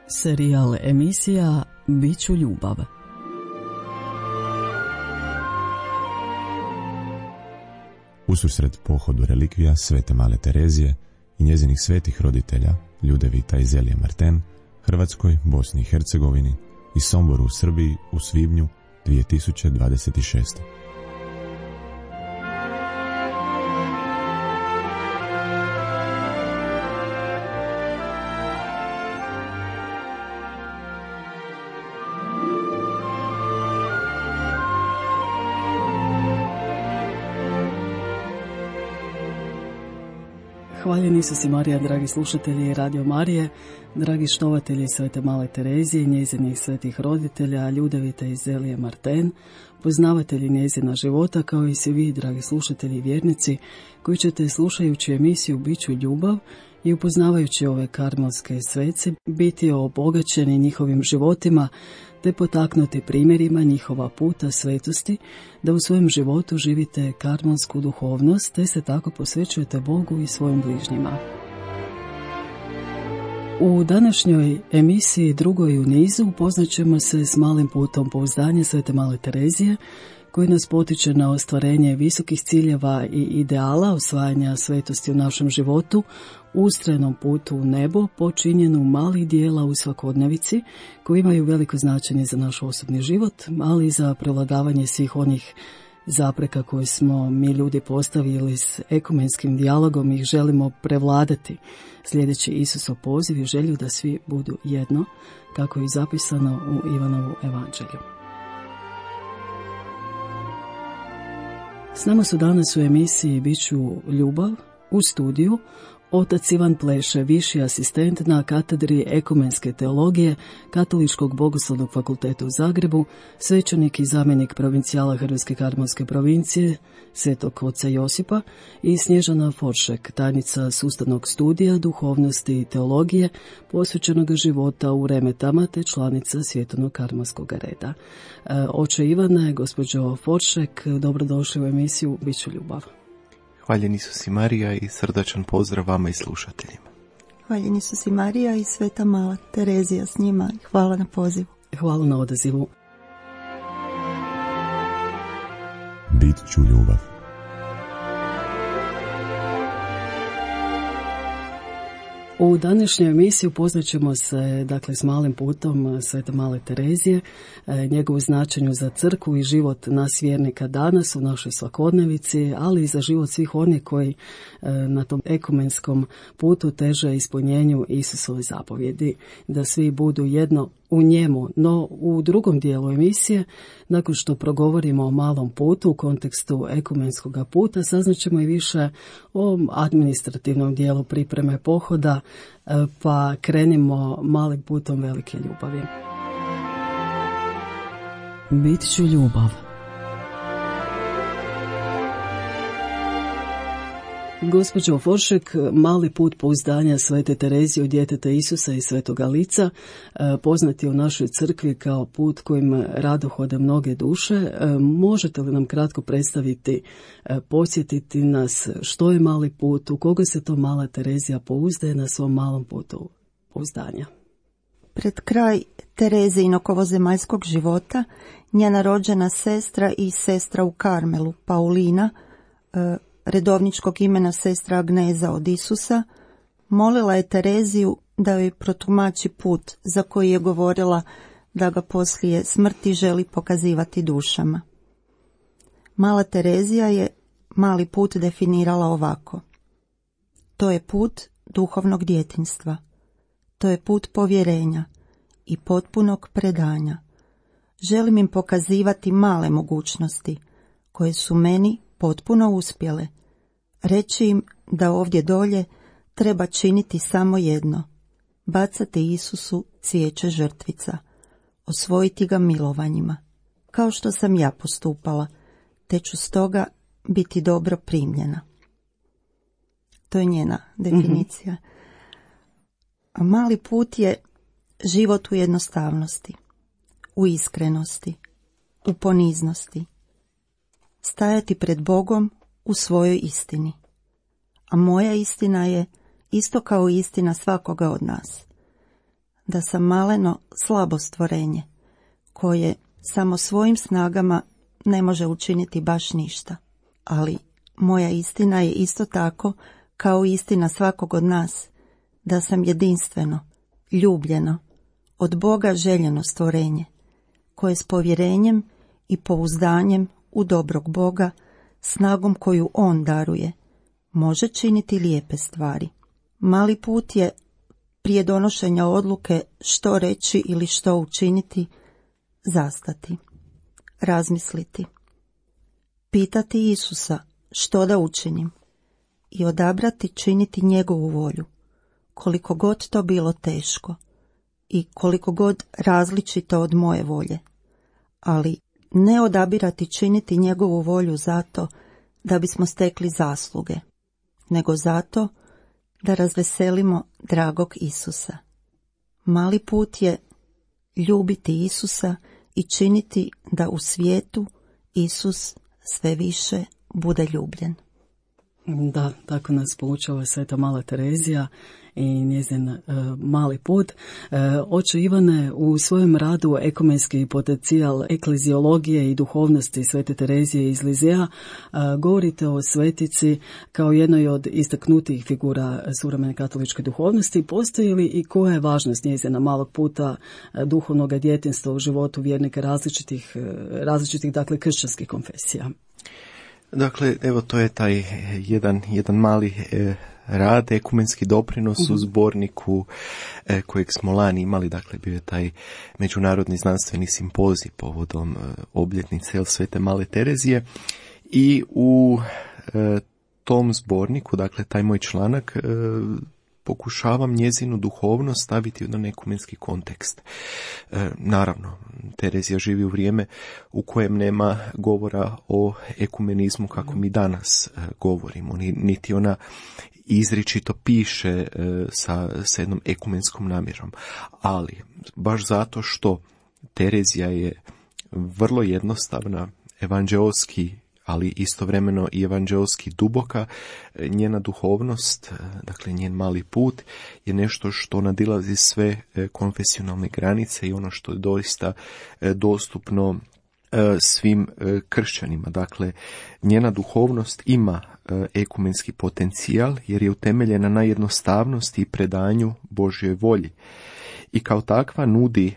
Serijal emisija Biću ljubav. Ususret pohodu relikvija Svete Male Terezije i njezinih svetih roditelja Ljudevita i Zelije Marten, Hrvatskoj, Bosni i Hercegovini i Somboru u Srbiji u svibnju 2026. Hvaljeni Isus i Marija, dragi slušatelji Radio Marije, dragi štovatelji Svete Male Terezije i njezinih svetih roditelja Ljudevita i Zelije Marten, poznavatelji njezina života, kao i svi vi, dragi slušatelji i vjernici, koji ćete, slušajući emisiju Biću ljubav i upoznavajući ove karmelske svece, biti obogaćeni njihovim životima, te potaknuti primjerima njihova puta svetosti, da u svojem životu živite karmelsku duhovnost, te se tako posvećujete Bogu i svojim bližnjima. U današnjoj emisiji, drugoj u nizu, upoznat ćemo se s malim putom pouzdanja Svete Male Terezije, koji nas potiče na ostvarenje visokih ciljeva i ideala osvajanja svetosti u našem životu, ustrajnom putu u nebo, počinjenu malih dijela u svakodnevici, koji imaju veliko značenje za naš osobni život, ali i za prevladavanje svih onih zapreka koje smo mi ljudi postavili s ekumenskim dijalogom i ih želimo prevladati, sljedeći Isusov poziv i želju da svi budu jedno, kako je zapisano u Ivanovu evanđelju. S nama su danas u emisiji Biću ljubav u studiju otac Ivan Pleše, viši asistent na katedri ekumenske teologije Katoličkog bogoslovnog fakulteta u Zagrebu, svećenik i zamjenik provincijala Hrvatske karmelske provincije Svetog oca Josipa, i Snježana Foršek, tajnica sustavnog studija duhovnosti i teologije posvećenog života u Remetama te članica Svjetovnog karmelskog reda. Oče Ivane, gospođo Foršek, dobrodošli u emisiju Biću ljubav. Hvaljen Isus i Marija i srdačan pozdrav vama i slušateljima. Hvaljen Isus i Marija i Sveta Mala Terezija s njima. Hvala na pozivu. Hvala na odazivu. Bit ću ljubav. U današnjoj emisiji upoznat ćemo se s malim putom Svete Male Terezije, njegovu značenju za crkvu i život nas vjernika danas u našoj svakodnevici, ali i za život svih onih koji na tom ekumenskom putu teže ispunjenju Isusove zapovjedi, da svi budu jedno u njemu. No u drugom dijelu emisije, nakon što progovorimo o malom putu u kontekstu ekumenskog puta, saznaćemo i više o administrativnom dijelu pripreme pohoda, pa krenimo malim putom velike ljubavi. Bit ću ljubav. Gospođo Foršek, mali put pouzdanja Svete Terezije od djeteta Isusa i Svetoga Lica, poznat je u našoj crkvi kao put kojim rado hode mnoge duše. Možete li nam kratko predstaviti, podsjetiti nas što je mali put, u koga se to Mala Terezija pouzdaje na svom malom putu pouzdanja? Pred kraj Terezijinog ovozemaljskog života, njena rođena sestra i sestra u Karmelu, Paulina, redovničkog imena sestra Agneza od Isusa, molila je Tereziju da joj protumači put za koji je govorila da ga poslije smrti želi pokazivati dušama. Mala Terezija je mali put definirala ovako: to je put duhovnog djetinjstva, to je put povjerenja i potpunog predanja. Želim im pokazivati male mogućnosti koje su meni potpuno uspjele, reći im da ovdje dolje treba činiti samo jedno: bacati Isusu cvijeće žrtvica, osvojiti ga milovanjima, kao što sam ja postupala, te ću stoga biti dobro primljena. To je njena definicija. A mali put je život u jednostavnosti, u iskrenosti, u poniznosti, stajati pred Bogom u svojoj istini. A moja istina je isto kao istina svakoga od nas. da sam maleno slabo stvorenje, koje samo svojim snagama ne može učiniti baš ništa. Ali moja istina je isto tako kao istina svakog od nas, da sam jedinstveno, ljubljeno, od Boga željeno stvorenje, koje s povjerenjem i pouzdanjem u dobrog Boga, snagom koju On daruje, može činiti lijepe stvari. Mali put je prije donošenja odluke što reći ili što učiniti, zastati, razmisliti, pitati Isusa što da učinim i odabrati činiti njegovu volju, koliko god to bilo teško i koliko god različito od moje volje, ali ne odabirati činiti njegovu volju zato da bismo stekli zasluge, nego zato da razveselimo dragog Isusa. Mali put je ljubiti Isusa i činiti da u svijetu Isus sve više bude ljubljen. Da, tako nas poučava Sveta Mala Terezija i njezin mali put. Oče Ivane, u svojem radu Ekumenski potencijal ekleziologije i duhovnosti Svete Terezije iz Lizea govorite o svetici kao jednoj od istaknutijih figura suvremene katoličke duhovnosti. Postoji li i koja je važnost njezina malog puta duhovnog djetinjstva u životu vjernika različitih dakle kršćanskih konfesija? Dakle, evo to je taj jedan mali rad, ekumenski doprinos u zborniku kojeg smo lani imali, dakle bio je taj međunarodni znanstveni simpozij povodom obljetnice Svete Male Terezije i u tom zborniku, dakle taj moj članak, pokušavam njezinu duhovnost staviti u jedan ekumenski kontekst. Naravno, Terezija živi u vrijeme u kojem nema govora o ekumenizmu kako mi danas govorimo, niti ona izričito piše sa jednom ekumenskom namjerom. Ali, baš zato što Terezija je vrlo jednostavna, evanđeoski, ali istovremeno i evanđeoski duboka, njena duhovnost, dakle njen mali put, je nešto što nadilazi sve konfesionalne granice i ono što je doista dostupno svim kršćanima. Dakle, njena duhovnost ima ekumenski potencijal jer je utemeljena na jednostavnosti i predanju Božjoj volji. I kao takva nudi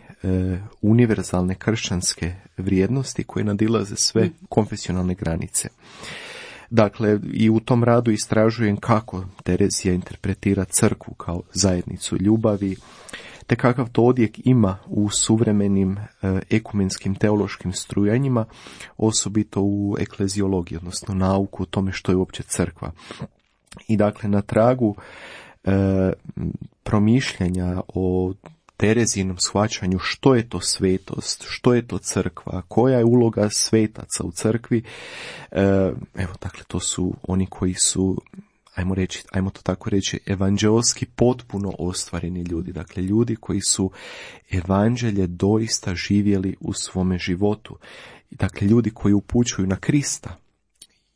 univerzalne kršćanske vrijednosti koje nadilaze sve konfesionalne granice. Dakle, i u tom radu istražujem kako Terezija interpretira crkvu kao zajednicu ljubavi, te kakav to odjek ima u suvremenim ekumenskim teološkim strujanjima, osobito u ekleziologiji, odnosno nauku o tome što je uopće crkva. I dakle, na tragu promišljanja o Terezinom shvaćanju što je to svetost, što je to crkva, koja je uloga svetaca u crkvi. Evo, dakle, to su oni koji su, ajmo to tako reći, evanđeoski potpuno ostvareni ljudi. Dakle, ljudi koji su evanđelje doista živjeli u svome životu. Dakle, ljudi koji upućuju na Krista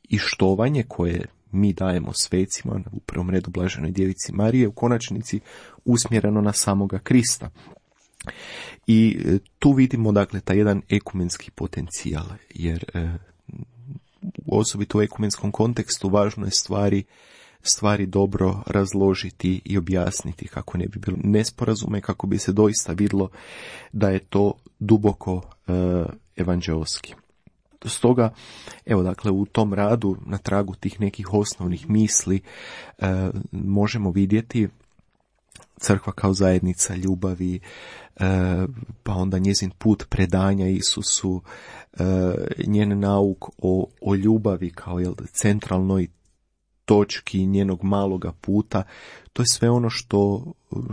i štovanje koje mi dajemo svecima, u prvom redu Blaženoj Djevici Marije, u konačnici usmjereno na samoga Krista. I tu vidimo, dakle, taj jedan ekumenski potencijal, jer osobito u ekumenskom kontekstu važno je stvari dobro razložiti i objasniti kako ne bi bilo nesporazume, kako bi se doista vidjelo da je to duboko evanđeoski. Stoga, evo, dakle, u tom radu, na tragu tih nekih osnovnih misli, možemo vidjeti crkva kao zajednica ljubavi, pa onda njezin put predanja Isusu, njen nauk o ljubavi kao centralnoj točki njenog maloga puta. To je sve ono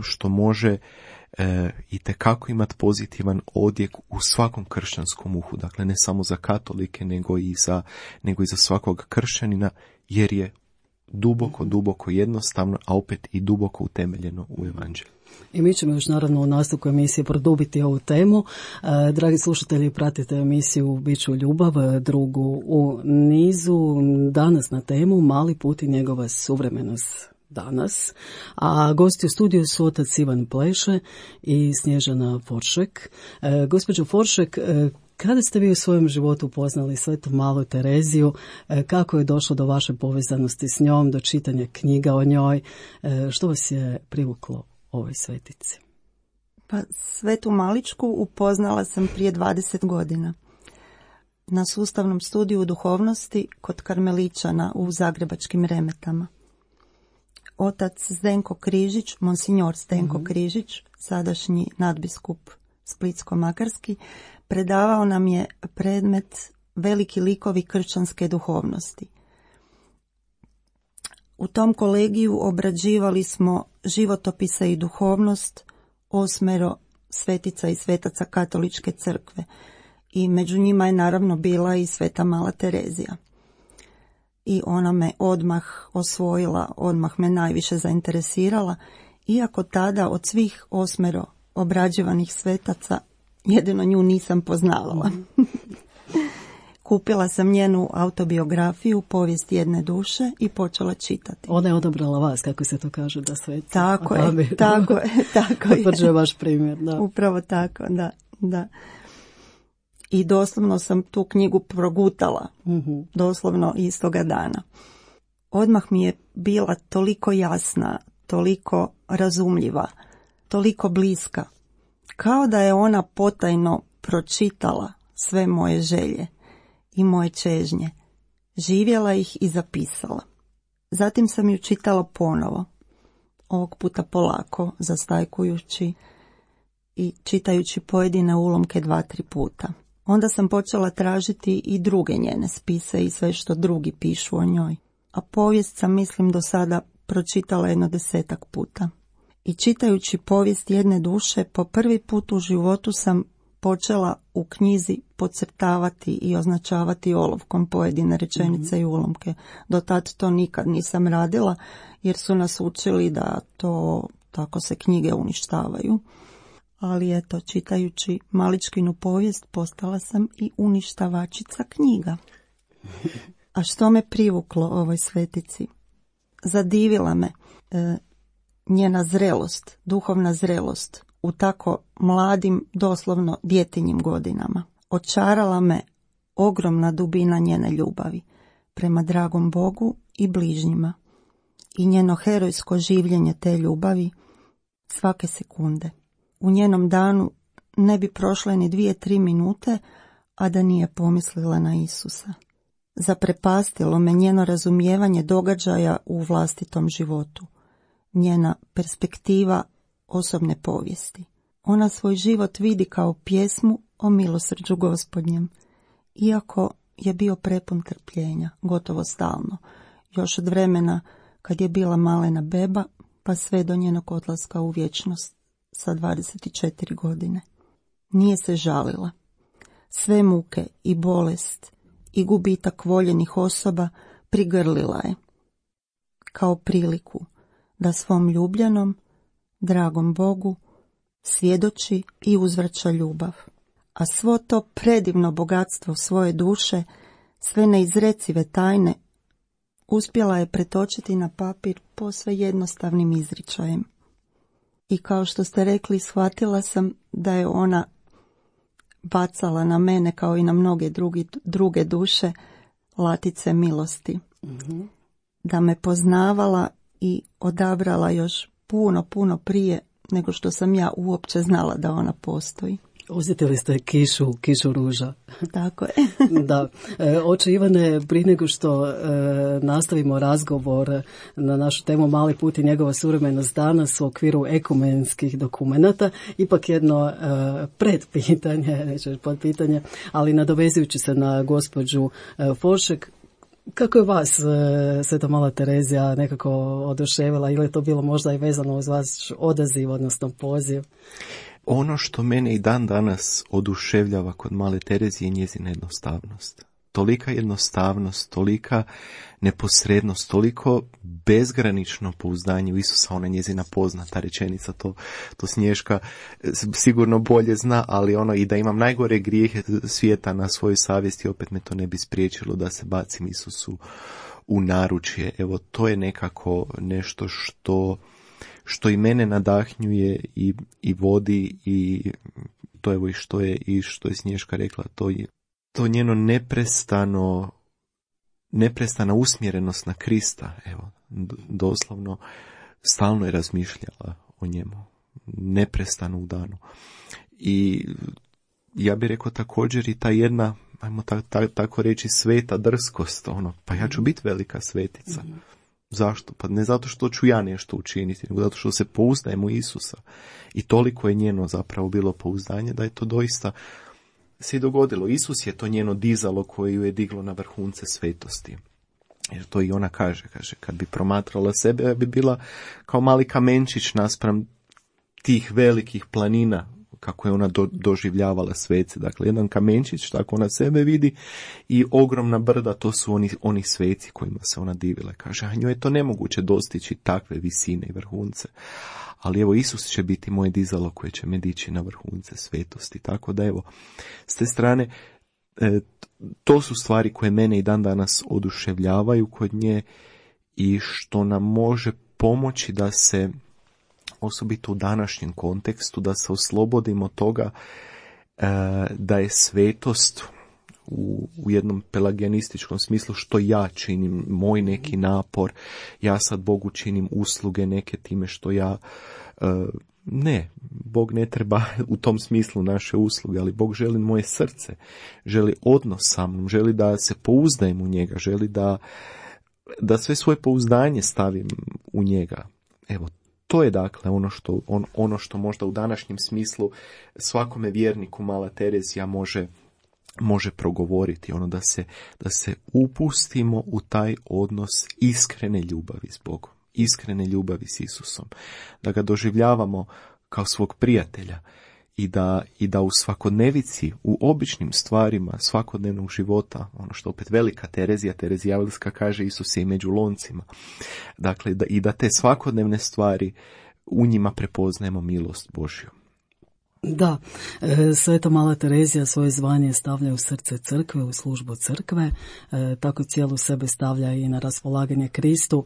što može itekako imati pozitivan odjek u svakom kršćanskom uhu, dakle ne samo za katolike nego i za svakog kršćanina, jer je duboko jednostavno, a opet i duboko utemeljeno u evanđelju. I mi ćemo još naravno u nastavku emisije produbiti ovu temu. Dragi slušatelji, pratite emisiju Biću ljubav, drugu u nizu, danas na temu Mali put i njegova suvremenost. danas, a gosti u studiju su otac Ivan Pleše i Snježana Foršek. Gospođo Foršek, kada ste vi u svojem životu upoznali Svetu malu Tereziju, kako je došlo do vaše povezanosti s njom, do čitanja knjiga o njoj, što vas je privuklo ovoj svetici? Pa Svetu Maličku upoznala sam prije 20 godina. Na sustavnom studiju duhovnosti kod Karmeličana u Zagrebačkim Remetama. Otac Zdenko Križić, monsinjor Zdenko Križić, sadašnji nadbiskup Splitsko-makarski, predavao nam je predmet Veliki likovi kršćanske duhovnosti. U tom kolegiju obrađivali smo životopise i duhovnost 8 svetica i svetaca Katoličke crkve i među njima je naravno bila i Sveta mala Terezija. I ona me odmah osvojila, odmah me najviše zainteresirala, iako tada od svih 8 obrađivanih svetaca jedino nju nisam poznavala. Kupila sam njenu autobiografiju Povijest jedne duše i počela čitati. Ona je odabrala vas, kako se to kaže, da sveti. Tako je, tako je. Potvrđuje vaš primjer, da. Upravo tako, da. I doslovno sam tu knjigu progutala, doslovno istoga dana. Odmah mi je bila toliko jasna, toliko razumljiva, toliko bliska, kao da je ona potajno pročitala sve moje želje i moje čežnje, živjela ih i zapisala. Zatim sam ju čitala ponovo, ovog puta polako, zastajkujući i čitajući pojedine ulomke 2-3 puta. Onda sam počela tražiti i druge njene spise i sve što drugi pišu o njoj. A povijest sam, mislim, do sada pročitala jedno 10-ak puta. I čitajući Povijest jedne duše, po prvi put u životu sam počela u knjizi podcrtavati i označavati olovkom pojedine rečenice i ulomke. Do tad to nikad nisam radila, jer su nas učili da to tako se knjige uništavaju. Ali eto, čitajući Maličkinu povijest postala sam i uništavačica knjiga. A što me privuklo ovoj svetici? Zadivila me njena zrelost, duhovna zrelost u tako mladim, doslovno djetinjim godinama. Očarala me ogromna dubina njene ljubavi prema dragom Bogu i bližnjima i njeno herojsko življenje te ljubavi svake sekunde. U njenom danu ne bi prošle ni 2-3 minute, a da nije pomislila na Isusa. Zaprepastilo me njeno razumijevanje događaja u vlastitom životu, njena perspektiva osobne povijesti. Ona svoj život vidi kao pjesmu o milosrđu Gospodnjem, iako je bio prepun trpljenja, gotovo stalno, još od vremena kad je bila malena beba, pa sve do njenog odlaska u vječnost sa 24 godine. Nije se žalila. Sve muke i bolest i gubitak voljenih osoba prigrlila je, kao priliku da svom ljubljenom, dragom Bogu, svjedoči i uzvraća ljubav. A svo to predivno bogatstvo svoje duše, sve neizrecive tajne, uspjela je pretočiti na papir posve jednostavnim izričajem. I kao što ste rekli, shvatila sam da je ona bacala na mene, kao i na mnoge druge duše, latice milosti. Da me poznavala i odabrala još puno prije nego što sam ja uopće znala da ona postoji. Osjetili ste kišu ruža. Tako je. Da. Oče Ivane, prije nego što nastavimo razgovor na našu temu Mali put i njegova suvremenost danas u okviru ekumenskih dokumenata, ipak jedno predpitanje, neću podpitanje, ali nadovezujući se na gospođu Foršek, kako je vas Sveta mala Terezija nekako oduševila, ili je to bilo možda i vezano uz vaš odaziv, odnosno poziv? Ono što mene i dan danas oduševljava kod male Terezije je njezina jednostavnost. Tolika jednostavnost, tolika neposrednost, toliko bezgranično pouzdanje u Isusa, ona njezina poznata rečenica, to Snješka sigurno bolje zna, ali ono i da imam najgore grijehe svijeta na svojoj savjesti, opet me to ne bi spriječilo da se bacim Isusu u naručje. Evo, to je nekako nešto što i mene nadahnjuje i vodi, i to evo i što je Snježka rekla, to njeno neprestana usmjerenost na Krista, evo, doslovno stalno je razmišljala o njemu, neprestano u danu. I ja bih rekao također i ta jedna, ajmo tako reći, sveta drskost, pa ja ću biti velika svetica. Zašto? Pa ne zato što ću ja nešto učiniti, nego zato što se pouzdajem u Isusa. I toliko je njeno zapravo bilo pouzdanje da je to doista se i dogodilo. Isus je to njeno dizalo koje ju je diglo na vrhunce svetosti. Jer to i ona kaže, kad bi promatrala sebe, ja bi bila kao mali kamenčić naspram tih velikih planina, kako je ona doživljavala svece. Dakle, jedan kamenčić, tako ona sebe vidi, i ogromna brda, to su oni sveci kojima se ona divila. Kaže, a njoj je to nemoguće dostići takve visine i vrhunce. Ali evo, Isus će biti moje dizalo koje će me dići na vrhunce svetosti. Tako da evo, s te strane, to su stvari koje mene i dan danas oduševljavaju kod nje i što nam može pomoći da se, osobito u današnjem kontekstu, da se oslobodimo toga da je svetost u jednom pelagijanističkom smislu što ja činim, moj neki napor, ja sad Bogu činim usluge neke time što ja, ne, Bog ne treba u tom smislu naše usluge, ali Bog želi moje srce, želi odnos sa mnom, želi da se pouzdajem u njega, želi da sve svoje pouzdanje stavim u njega. Evo, to je dakle ono što možda u današnjem smislu svakome vjerniku mala Terezija može progovoriti, da se upustimo u taj odnos iskrene ljubavi s Bogom, iskrene ljubavi s Isusom, da ga doživljavamo kao svog prijatelja i da u svakodnevici, u običnim stvarima svakodnevnog života, ono što opet velika Terezijavlska kaže, Isus je i među loncima, dakle da te svakodnevne stvari u njima prepoznajemo milost Božju. Da, Sveta mala Terezija svoje zvanje stavlja u srce crkve, u službu crkve, tako cijelu sebe stavlja i na raspolaganje Kristu.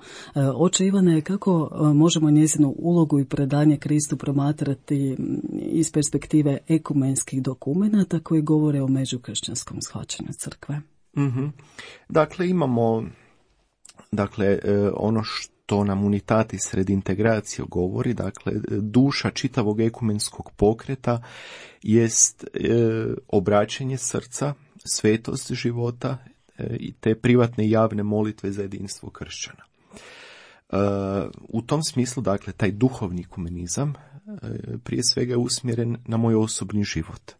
Oče Ivane, kako možemo njezinu ulogu i predanje Kristu promatrati iz perspektive ekumenskih dokumenata koji govore o međukršćanskom shvaćanju crkve? Mm-hmm. Dakle, imamo ono što nam Unitatis Redintegratio govori, dakle, duša čitavog ekumenskog pokreta jest obraćanje srca, svetost života i te privatne i javne molitve za jedinstvo kršćana. U tom smislu, dakle, taj duhovni ekumenizam prije svega je usmjeren na moj osobni život.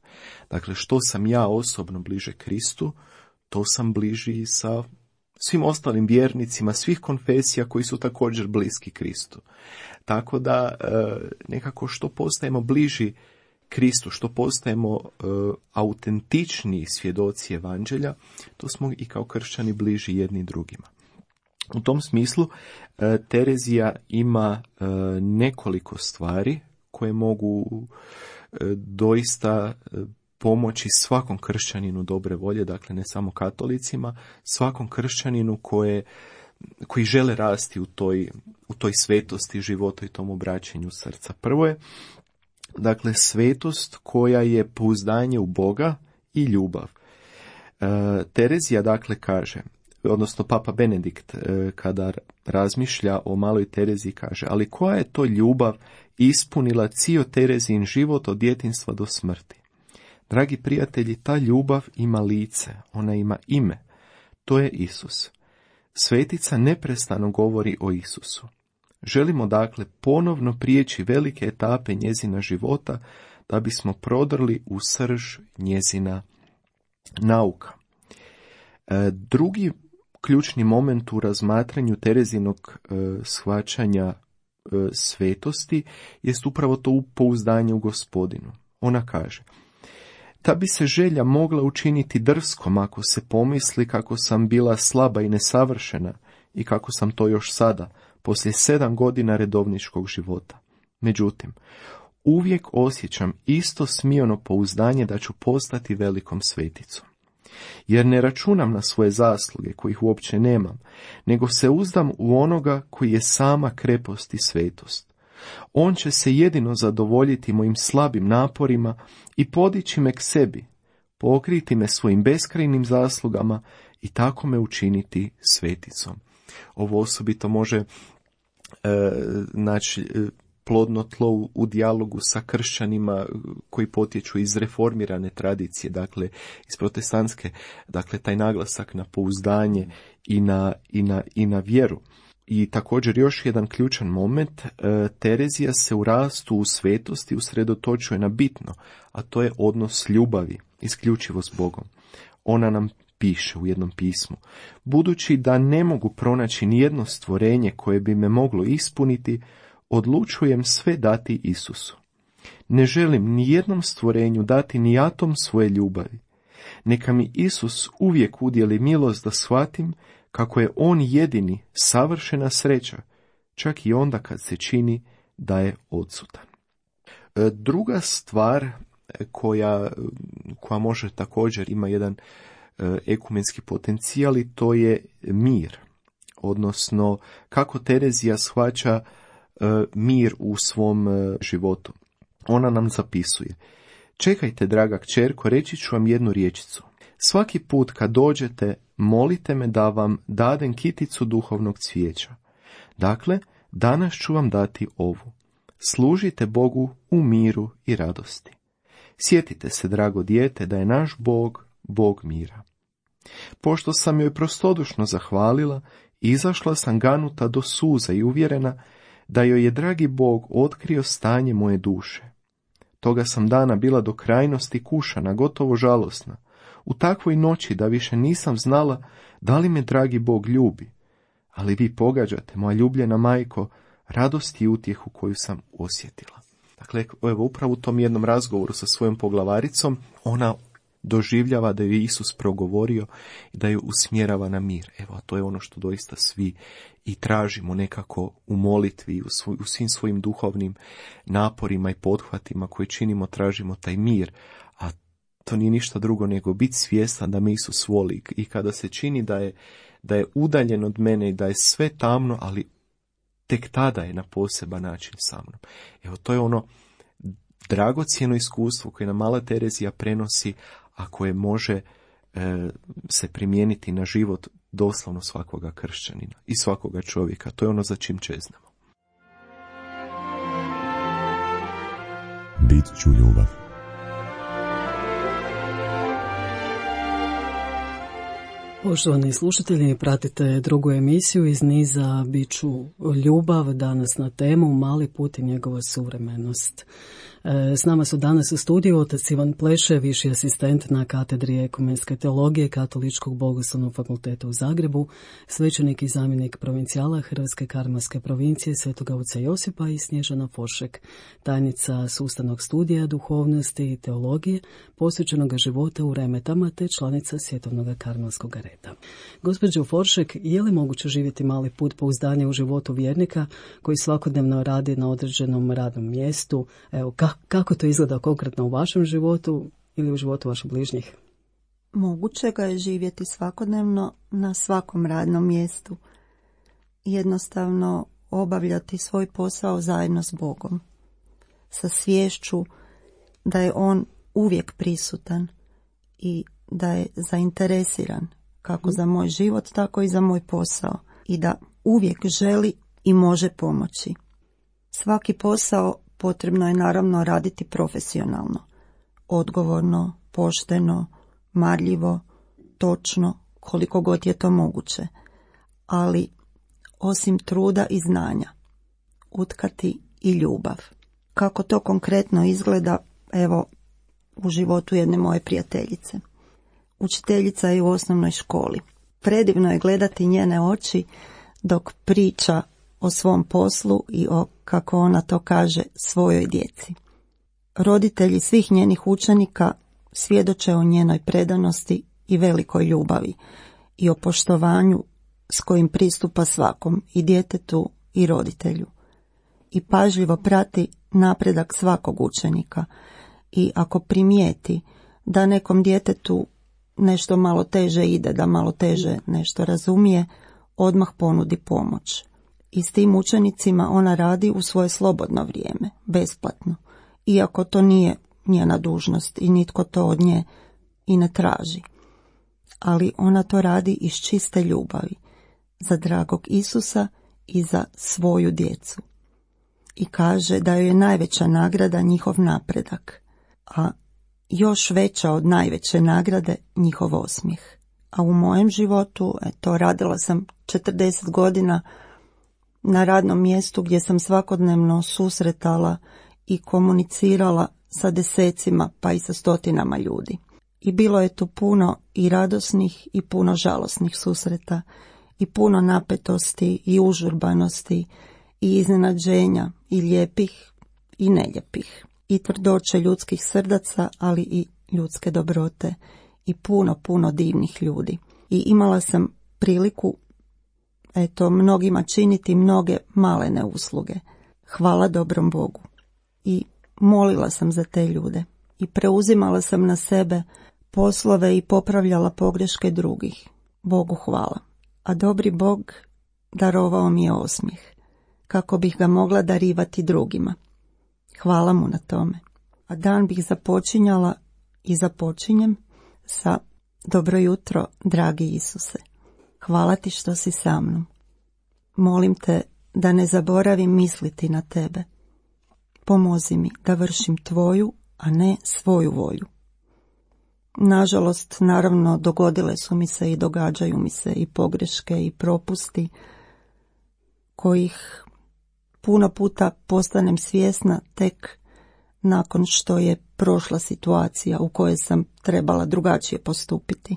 Dakle, što sam ja osobno bliže Kristu, to sam bliži i sa svim ostalim vjernicima svih konfesija koji su također bliski Kristu. Tako da nekako što postajemo bliži Kristu, što postajemo autentičniji svjedoci evanđelja, to smo i kao kršćani bliži jedni drugima. U tom smislu Terezija ima nekoliko stvari koje mogu doista pomoći svakom kršćaninu dobre volje, dakle ne samo katolicima, svakom kršćaninu koji žele rasti u toj svetosti života i tom obraćanju srca. Prvo je, dakle, svetost koja je pouzdanje u Boga i ljubav. Terezija, dakle, kaže, odnosno Papa Benedikt, kada razmišlja o maloj Tereziji, kaže, ali koja je to ljubav ispunila cijel Terezin život od djetinjstva do smrti? Dragi prijatelji, ta ljubav ima lice, ona ima ime, to je Isus. Svetica neprestano govori o Isusu. Želimo dakle ponovno prijeći velike etape njezina života da bismo prodrli u srž njezina nauka. Drugi ključni moment u razmatranju Terezinog shvaćanja svetosti jest upravo to pouzdanje u Gospodinu. Ona kaže, ta bi se želja mogla učiniti drskom ako se pomisli kako sam bila slaba i nesavršena i kako sam to još sada, poslije 7 godina redovničkog života. Međutim, uvijek osjećam isto smijeno pouzdanje da ću postati velikom sveticom. Jer ne računam na svoje zasluge, kojih uopće nemam, nego se uzdam u onoga koji je sama krepost i svetost. On će se jedino zadovoljiti mojim slabim naporima i podići me k sebi, pokriti me svojim beskrajnim zaslugama i tako me učiniti sveticom. Ovo osobito može plodno tlo u dijalogu sa kršćanima koji potječu iz reformirane tradicije, dakle iz protestantske, dakle taj naglasak na pouzdanje i na vjeru. I također još jedan ključan moment, Terezija se u rastu u svetosti usredotočuje na bitno, a to je odnos ljubavi, isključivo s Bogom. Ona nam piše u jednom pismu: budući da ne mogu pronaći nijedno stvorenje koje bi me moglo ispuniti, odlučujem sve dati Isusu. Ne želim ni jednom stvorenju dati ni atom svoje ljubavi. Neka mi Isus uvijek udjeli milost da shvatim kako je on jedini savršena sreća, čak i onda kad se čini da je odsutan. Druga stvar koja može također ima jedan ekumenski potencijal, i to je mir, odnosno kako Terezija shvaća mir u svom životu. Ona nam zapisuje: čekajte, draga kćerko, reći ću vam jednu riječicu. Svaki put kad dođete, molite me da vam dadem kiticu duhovnog cvijeća. Dakle, danas ću vam dati ovu. Služite Bogu u miru i radosti. Sjetite se, drago dijete, da je naš Bog, Bog mira. Pošto sam joj prostodušno zahvalila, izašla sam ganuta do suza i uvjerena da joj je dragi Bog otkrio stanje moje duše. Toga sam dana bila do krajnosti kušana, gotovo žalosna, u takvoj noći da više nisam znala da li me dragi Bog ljubi. Ali vi pogađate, moja ljubljena majko, radost i utjehu koju sam osjetila. Dakle, evo, upravo u tom jednom razgovoru sa svojom poglavaricom, ona doživljava da je Isus progovorio i da ju usmjerava na mir. Evo, to je ono što doista svi i tražimo nekako u molitvi, u svim svojim duhovnim naporima i pothvatima koje činimo, tražimo taj mir. A to nije ništa drugo nego biti svjestan da me Isus voli i kada se čini da je udaljen od mene i da je sve tamno, ali tek tada je na poseban način sa mnom. Evo, to je ono dragocjeno iskustvo koje nam mala Terezija prenosi, a koje može se primijeniti na život doslovno svakoga kršćanina i svakoga čovjeka. To je ono za čim čeznamo. Bit ću ljubav. Poštovani slušatelji, pratite drugu emisiju iz niza Bit ću ljubav, danas na temu Mali put i njegova suvremenost. S nama su danas u studiju otac Ivan Pleše, viši asistent na katedri ekumenske teologije Katoličkog bogoslovnog fakulteta u Zagrebu, svećenik i zamjenik provincijala Hrvatske karmelske provincije Svetoga oca Josipa, i Snježana Foršek, tajnica sustavnog studija duhovnosti i teologije posvećenog života u Remetama te članica Svjetovnog karmelskog reda. Gospođo Foršek, je li moguće živjeti mali put pouzdanja u životu vjernika koji svakodnevno radi na određenom radnom mjestu? Evo, kako to izgleda konkretno u vašem životu ili u životu vaših bližnjih? Moguće ga je živjeti svakodnevno na svakom radnom mjestu. Jednostavno obavljati svoj posao zajedno s Bogom. Sa sviješću da je on uvijek prisutan i da je zainteresiran kako za moj život, tako i za moj posao. I da uvijek želi i može pomoći. Svaki posao potrebno je naravno raditi profesionalno, odgovorno, pošteno, marljivo, točno, koliko god je to moguće. Ali osim truda i znanja, utkati i ljubav. Kako to konkretno izgleda, evo, u životu jedne moje prijateljice. Učiteljica je u osnovnoj školi. Predivno je gledati njene oči dok priča o svom poslu i o, kako ona to kaže, svojoj djeci. Roditelji svih njenih učenika svjedoče o njenoj predanosti i velikoj ljubavi i o poštovanju s kojim pristupa svakom, i djetetu i roditelju. I pažljivo prati napredak svakog učenika i ako primijeti da nekom djetetu nešto malo teže ide, da malo teže nešto razumije, odmah ponudi pomoć. I s tim učenicima ona radi u svoje slobodno vrijeme, besplatno, iako to nije njena dužnost i nitko to od nje i ne traži. Ali ona to radi iz čiste ljubavi, za dragog Isusa i za svoju djecu. I kaže da joj je najveća nagrada njihov napredak, a još veća od najveće nagrade njihov osmijeh. A u mojem životu, radila sam 40 godina na radnom mjestu gdje sam svakodnevno susretala i komunicirala sa desecima pa i sa stotinama ljudi. I bilo je tu puno i radosnih i puno žalosnih susreta i puno napetosti i užurbanosti i iznenađenja i lijepih i neljepih i tvrdoće ljudskih srdaca, ali i ljudske dobrote i puno divnih ljudi. I imala sam priliku mnogima činiti mnoge malene usluge. Hvala dobrom Bogu. I molila sam za te ljude i preuzimala sam na sebe poslove i popravljala pogreške drugih. Bogu hvala. A dobri Bog darovao mi je osmijeh, kako bih ga mogla darivati drugima. Hvala mu na tome. A dan bih započinjala i započinjem sa dobro jutro, dragi Isuse. Hvala ti što si sa mnom. Molim te da ne zaboravim misliti na tebe. Pomozi mi da vršim tvoju, a ne svoju volju. Nažalost, naravno, dogodile su mi se i događaju mi se i pogreške i propusti kojih puno puta postanem svjesna tek nakon što je prošla situacija u kojoj sam trebala drugačije postupiti.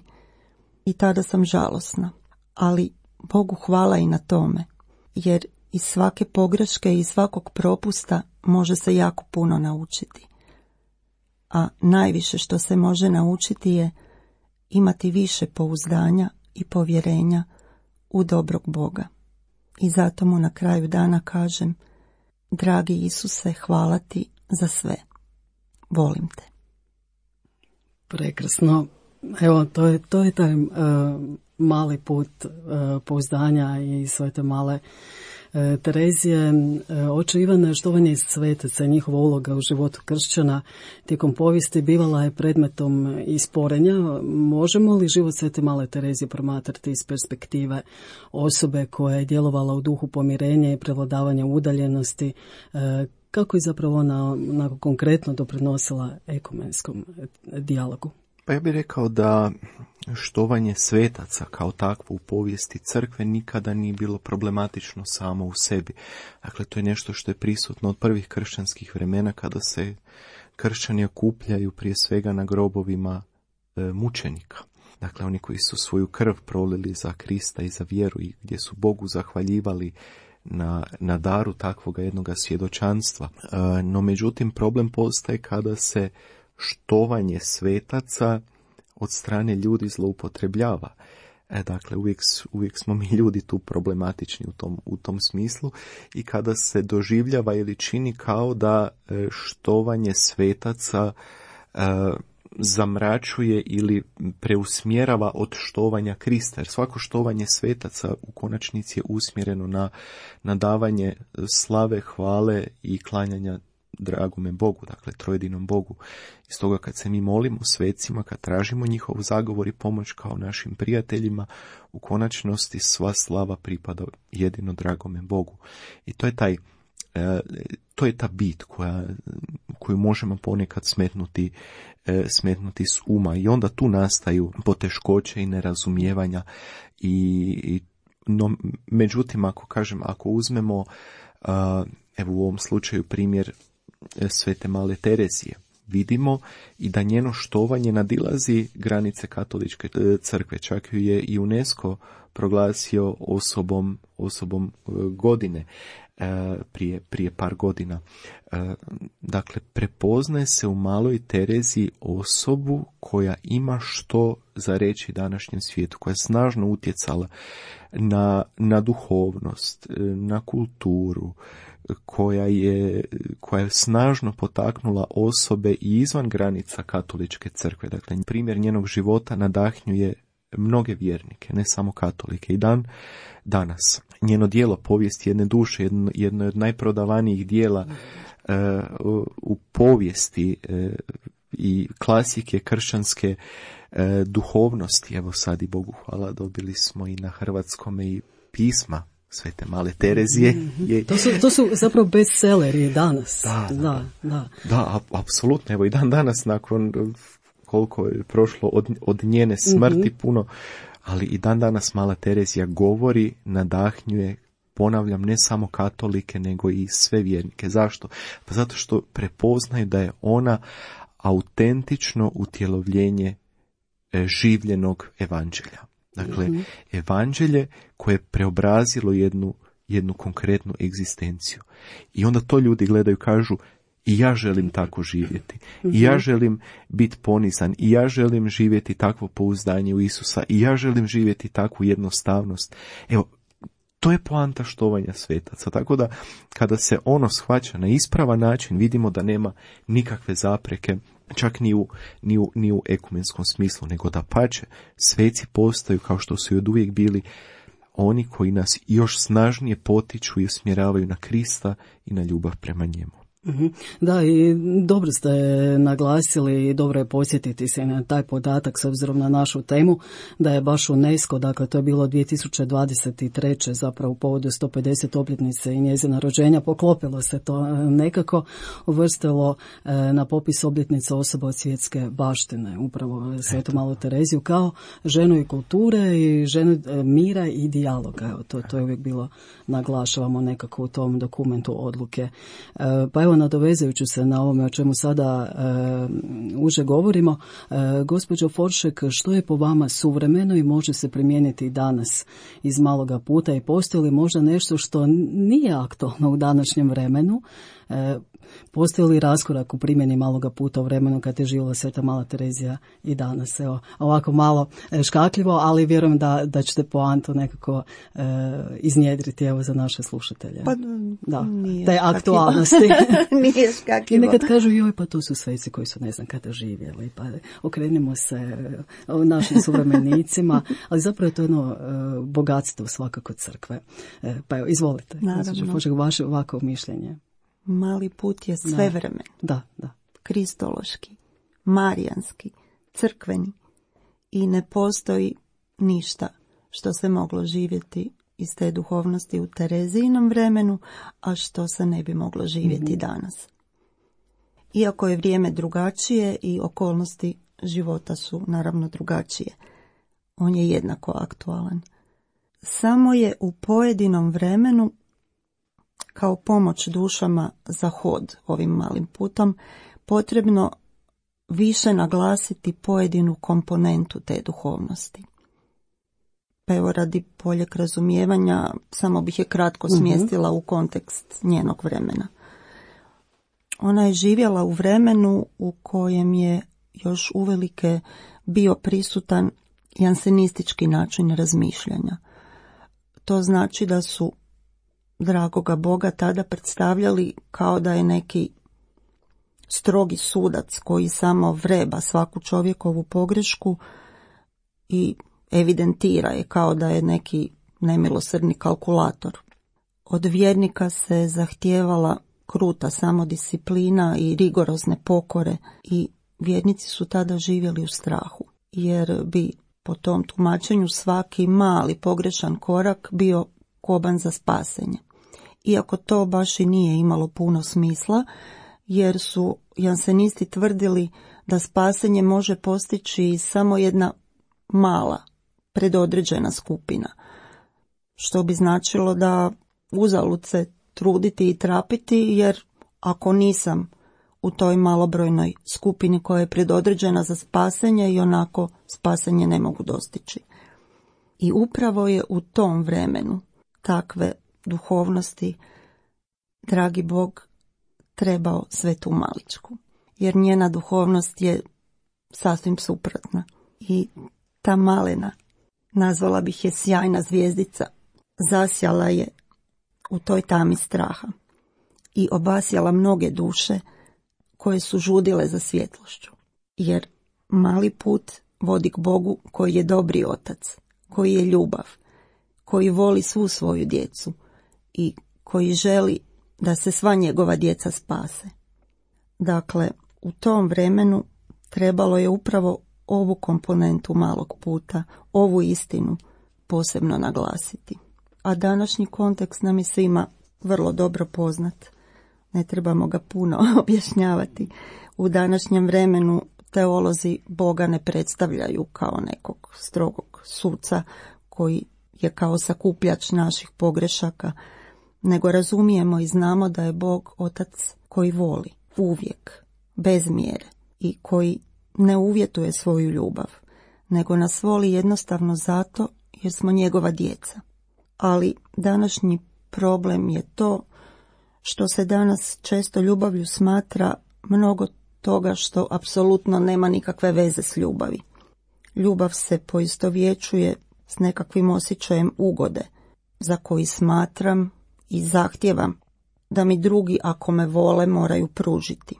I tada sam žalosna, ali Bogu hvala i na tome, jer iz svake pogreške i svakog propusta može se jako puno naučiti. A najviše što se može naučiti je imati više pouzdanja i povjerenja u dobrog Boga. I zato mu na kraju dana kažem: dragi Isuse, hvala ti za sve. Volim te. Prekrasno. Evo, to je taj mali put pouzdanja i sve te male Terezije. Oče Ivane, štovanje svetaca, njihova uloga u životu kršćana tijekom povijesti bivala je predmetom isporenja. Možemo li život svete male Terezije promatrati iz perspektive osobe koja je djelovala u duhu pomirenja i prevladavanja udaljenosti? Kako je zapravo ona konkretno doprinosila ekumenskom dijalogu? Pa ja bih rekao da štovanje svetaca kao takvo u povijesti crkve nikada nije bilo problematično samo u sebi. Dakle, to je nešto što je prisutno od prvih kršćanskih vremena kada se kršćani okupljaju prije svega na grobovima mučenika. Dakle, oni koji su svoju krv prolili za Krista i za vjeru i gdje su Bogu zahvaljivali na daru takvoga jednoga svjedočanstva. No, međutim, problem postaje kada se štovanje svetaca od strane ljudi zloupotrebljava. Dakle, uvijek smo mi ljudi tu problematični u tom smislu i kada se doživljava ili čini kao da štovanje svetaca zamračuje ili preusmjerava od štovanja Krista, jer svako štovanje svetaca u konačnici je usmjereno na davanje slave, hvale i klanjanja dragome Bogu, dakle trojedinom Bogu. I stoga kad se mi molimo svecima, kad tražimo njihov zagovor i pomoć kao našim prijateljima, u konačnosti sva slava pripada jedino dragome Bogu. I to je ta bit koju možemo ponekad smetnuti s uma. I onda tu nastaju poteškoće i nerazumijevanja. No, međutim, ako uzmemo evo u ovom slučaju primjer svete male Terezije, vidimo i da njeno štovanje nadilazi granice katoličke crkve. Čak ju je i UNESCO proglasio osobom godine. prije par godina. Dakle, prepoznaje se u maloj Tereziji osobu koja ima što za reći današnjem svijetu, koja je snažno utjecala na duhovnost, na kulturu, koja je snažno potaknula osobe i izvan granica katoličke crkve. Dakle, primjer njenog života nadahnjuje mnoge vjernike, ne samo katolike. I danas njeno djelo Povijest jedne duše, jedno od najprodavanijih djela u povijesti i klasike kršćanske duhovnosti. Evo sad i Bogu hvala, dobili smo i na hrvatskome i pisma Svete male Terezije. To su zapravo bestselleri danas. Da, apsolutno. Evo i danas nakon koliko je prošlo od njene smrti puno, ali i danas mala Terezija govori, nadahnjuje, ponavljam, ne samo katolike, nego i sve vjernike. Zašto? Pa zato što prepoznaju da je ona autentično utjelovljenje življenog evanđelja. Dakle, evanđelje koje je preobrazilo jednu konkretnu egzistenciju. I onda to ljudi gledaju, kažu, i ja želim tako živjeti. I ja želim biti ponizan. I ja želim živjeti takvo pouzdanje u Isusa. I ja želim živjeti takvu jednostavnost. Evo, to je poanta štovanja svetaca. Tako da, kada se ono shvaća na ispravan način, vidimo da nema nikakve zapreke, čak ni u ekumenskom smislu, nego da pače, sveci postaju, kao što su i od uvijek bili, oni koji nas još snažnije potiču i usmjeravaju na Krista i na ljubav prema njemu. Da, i dobro ste naglasili i dobro je podsjetiti se na taj podatak s obzirom na našu temu, da je baš UNESCO, dakle to je bilo 2023. zapravo u povodu 150 obljetnice i njezina rođenja, poklopilo se to nekako, uvrstilo na popis obljetnica osoba od svjetske baštine, upravo Svetu malu Tereziju kao ženu i kulture i ženu mira i dijaloga. Evo, to je uvijek bilo, naglašavamo nekako u tom dokumentu odluke. Pa evo, nadovezajući se na ovome o čemu sada uže govorimo, gospođo Foršek, što je po vama suvremeno i može se primijeniti i danas iz maloga puta i postoji li možda nešto što nije aktualno u današnjem vremenu? Postoji li raskorak u primjeni maloga puta u vremenu kad je živjela Sveta mala Terezija i danas? Evo, ovako malo škakljivo, ali vjerujem da ćete poantu nekako iznjedriti evo za naše slušatelje. Pa, da, te aktualnosti. Nije škakljivo. I nekad kažu, joj, pa to su sveci koji su ne znam kada živjeli, pa okrenimo se našim suvremenicima, ali zapravo je to jedno bogatstvo svakako crkve. Pa evo, izvolite, vaše ovako mišljenje. Mali put je svevremen, da. kristološki, marijanski, crkveni i ne postoji ništa što se moglo živjeti iz te duhovnosti u Terezijinom vremenu, a što se ne bi moglo živjeti danas. Iako je vrijeme drugačije i okolnosti života su naravno drugačije, on je jednako aktualan. Samo je u pojedinom vremenu kao pomoć dušama za hod ovim malim putom potrebno više naglasiti pojedinu komponentu te duhovnosti. Pa evo, radi boljeg razumijevanja samo bih je kratko smjestila u kontekst njenog vremena. Ona je živjela u vremenu u kojem je još uvelike bio prisutan jansenistički način razmišljanja. To znači da su dragoga Boga tada predstavljali kao da je neki strogi sudac koji samo vreba svaku čovjekovu pogrešku i evidentira je kao da je neki nemilosrdni kalkulator. Od vjernika se zahtijevala kruta samodisciplina i rigorozne pokore i vjernici su tada živjeli u strahu, jer bi po tom tumačenju svaki mali pogrešan korak bio koban za spasenje. Iako to baš i nije imalo puno smisla, jer su jansenisti tvrdili da spasenje može postići samo jedna mala, predodređena skupina, što bi značilo da uzalud se truditi i trapiti, jer ako nisam u toj malobrojnoj skupini koja je predodređena za spasenje, i onako spasenje ne mogu dostići. I upravo je u tom vremenu takve duhovnosti dragi Bog trebao svetu Maličku, jer njena duhovnost je sasvim suprotna. I ta malena, nazvala bih je sjajna zvijezdica, zasjala je u toj tami straha i obasjala mnoge duše koje su žudile za svjetlošću. Jer mali put vodi k Bogu koji je dobri otac, koji je ljubav, koji voli svu svoju djecu i koji želi da se sva njegova djeca spase. Dakle, u tom vremenu trebalo je upravo ovu komponentu malog puta, ovu istinu posebno naglasiti. A današnji kontekst nam je svima vrlo dobro poznat. Ne trebamo ga puno objašnjavati. U današnjem vremenu teolozi Boga ne predstavljaju kao nekog strogog suca koji je kao sakupljač naših pogrešaka, nego razumijemo i znamo da je Bog otac koji voli uvijek, bez mjere i koji ne uvjetuje svoju ljubav, nego nas voli jednostavno zato jer smo njegova djeca. Ali današnji problem je to što se danas često ljubavlju smatra mnogo toga što apsolutno nema nikakve veze s ljubavi. Ljubav se poistovjećuje s nekakvim osjećajem ugode, za koji smatram i zahtijevam da mi drugi, ako me vole, moraju pružiti.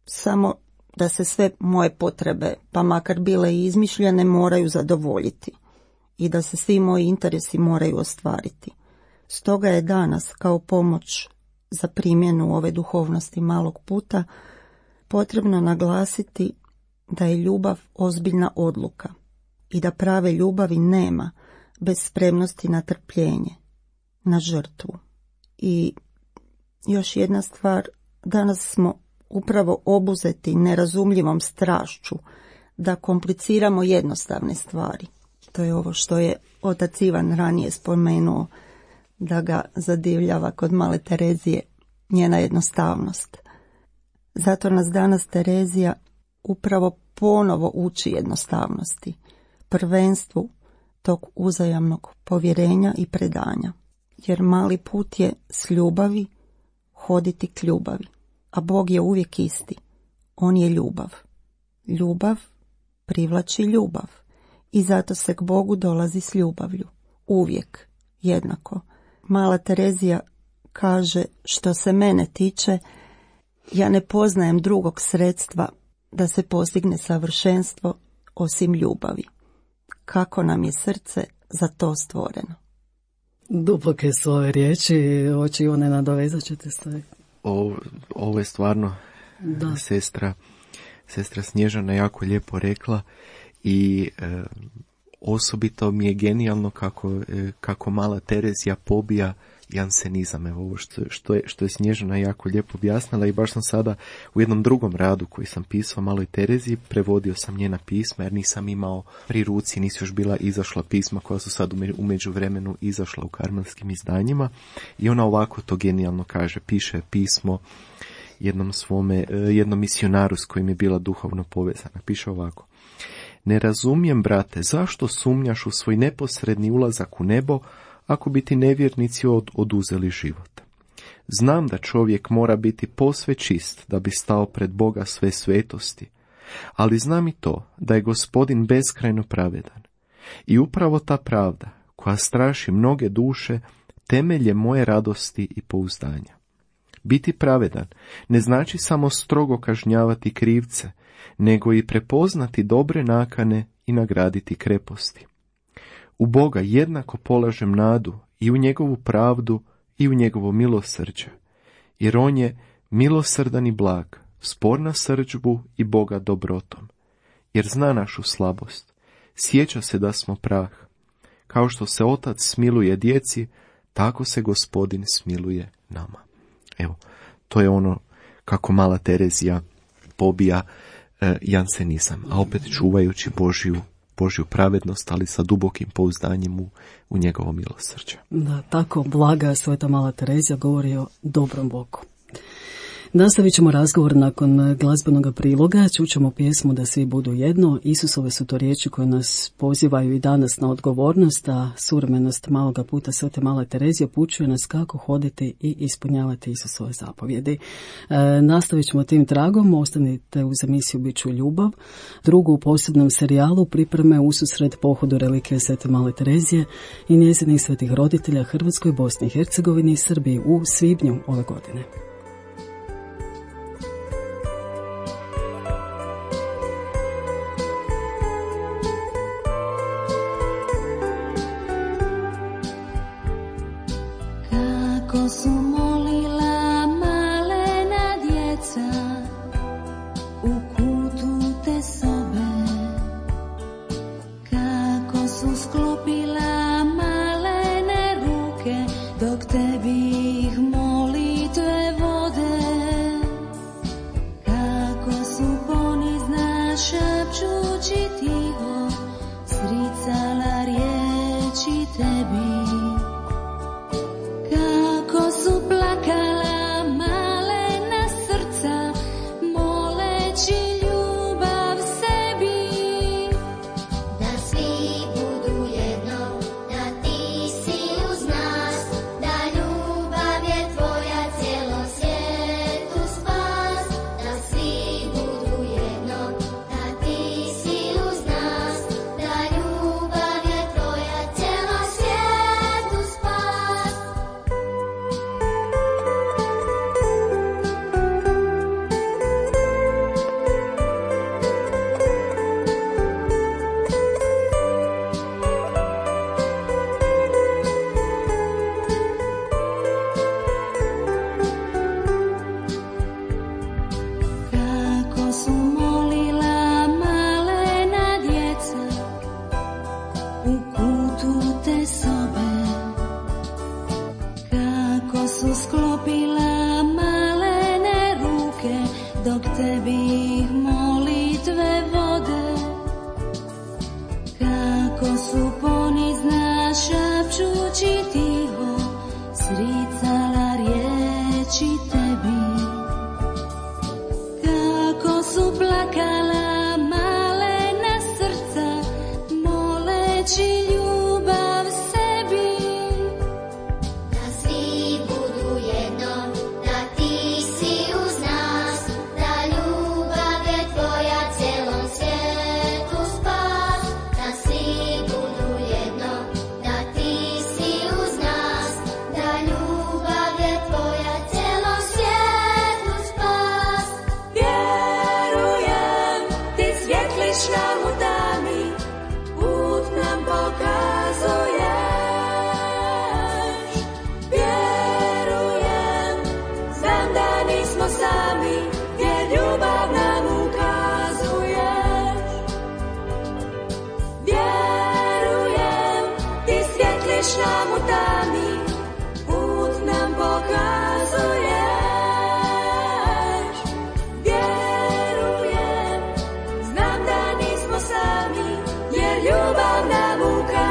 Samo da se sve moje potrebe, pa makar bile i izmišljene, moraju zadovoljiti i da se svi moji interesi moraju ostvariti. Stoga je danas, kao pomoć za primjenu ove duhovnosti malog puta, potrebno naglasiti da je ljubav ozbiljna odluka i da prave ljubavi nema bez spremnosti na trpljenje, na žrtvu. I još jedna stvar, danas smo upravo obuzeti nerazumljivom strašću da kompliciramo jednostavne stvari. To je ovo što je otac Ivan ranije spomenuo, da ga zadivljava kod male Terezije njena jednostavnost. Zato nas danas Terezija upravo ponovo uči jednostavnosti, prvenstvu tog uzajamnog povjerenja i predanja. Jer mali put je s ljubavi hoditi k ljubavi, a Bog je uvijek isti. On je ljubav. Ljubav privlači ljubav i zato se k Bogu dolazi s ljubavlju. Uvijek, jednako. Mala Terezija kaže, što se mene tiče, ja ne poznajem drugog sredstva da se postigne savršenstvo osim ljubavi. Kako nam je srce za to stvoreno. Duboke su ove riječi, oči one nadovezat ćete se. Ovo je stvarno sestra Snježana jako lijepo rekla i osobito mi je genijalno kako mala Terezija pobija jansenizam. Evo ovo što je Snježana jako lijepo objasnila i baš sam sada u jednom drugom radu koji sam pisao maloj Tereziji, prevodio sam njena pisma jer nisam imao pri ruci, nisu još bila izašla pisma koja su sad u međuvremenu izašla u karmelskim izdanjima i ona ovako to genijalno kaže, piše pismo jednom misionaru s kojim je bila duhovno povezana. Piše ovako: ne razumijem, brate, zašto sumnjaš u svoj neposredni ulazak u nebo ako bi ti nevjernici oduzeli život. Znam da čovjek mora biti posve čist da bi stao pred Boga sve svetosti, ali znam i to da je Gospodin beskrajno pravedan. I upravo ta pravda, koja straši mnoge duše, temelj je moje radosti i pouzdanja. Biti pravedan ne znači samo strogo kažnjavati krivce, nego i prepoznati dobre nakane i nagraditi kreposti. U Boga jednako polažem nadu i u njegovu pravdu i u njegovo milosrđe, jer on je milosrdan i blag, spor na srdžbu i Boga dobrotom, jer zna našu slabost, sjeća se da smo prah. Kao što se otac smiluje djeci, tako se Gospodin smiluje nama. Evo, to je ono kako mala Terezija pobija jansenizam, a opet čuvajući Božju pravednost, ali sa dubokim pouzdanjem u njegovo milosrđe. Da, tako blaga sveta mala Terezija govori o dobrom Bogu. Nastavit ćemo razgovor nakon glazbenog priloga, čućemo pjesmu Da svi budu jedno. Isusove su to riječi koje nas pozivaju i danas na odgovornost, a suvremenost maloga puta Svete Male Terezije upućuje nas kako hoditi i ispunjavati Isusove zapovjedi. Nastavit ćemo tim tragom, ostanite uz emisiju Biću ljubav, drugu u posebnom serijalu pripreme ususret pohodu relikvije Svete Male Terezije i njezinih svetih roditelja Hrvatskoj, Bosni i Hercegovini i Srbiji u svibnju ove godine. Kako su molila malena djeca u kutu te sobe, kako su sklopila malene ruke dok tebi ih molitve vode, kako su ponizna šapčući tiho sricala riječi tebi. Kako su plakala malena srca, moleći ljubav sebi. Da svi budu jedno, da ti si uz nas, da ljubav je tvoja cijelom svijetu spas. Da svi budu jedno, da ti si uz nas, da ljubav je tvoja cijelom svijetu spas. Kako su molila malena djeca u kutu te sobe, kako su sklopila malene ruke dok tebi ih molitve vode, kako su ponizna šapčući tiho sricala riječi tebi. Kako su plakala malena srca, moleći ljubav sebi. Da svi budu jedno, da ti si uz nas, da ljubav je tvoja cijelom svijetu spas. Da svi budu jedno, da ti si uz nas, da ljubav je tvoja cijelom svijetu spas. Vjerujem, ti svjetliš nam u tami, put nam pokazuješ. Vjerujem, znam da nismo sami, jer ljubav nam ukazuješ. Vjerujem, ti svjetliš nam u tami, put nam pokazuješ. Vjerujem, znam da nismo sami, jer ljubav nam ukazuješ.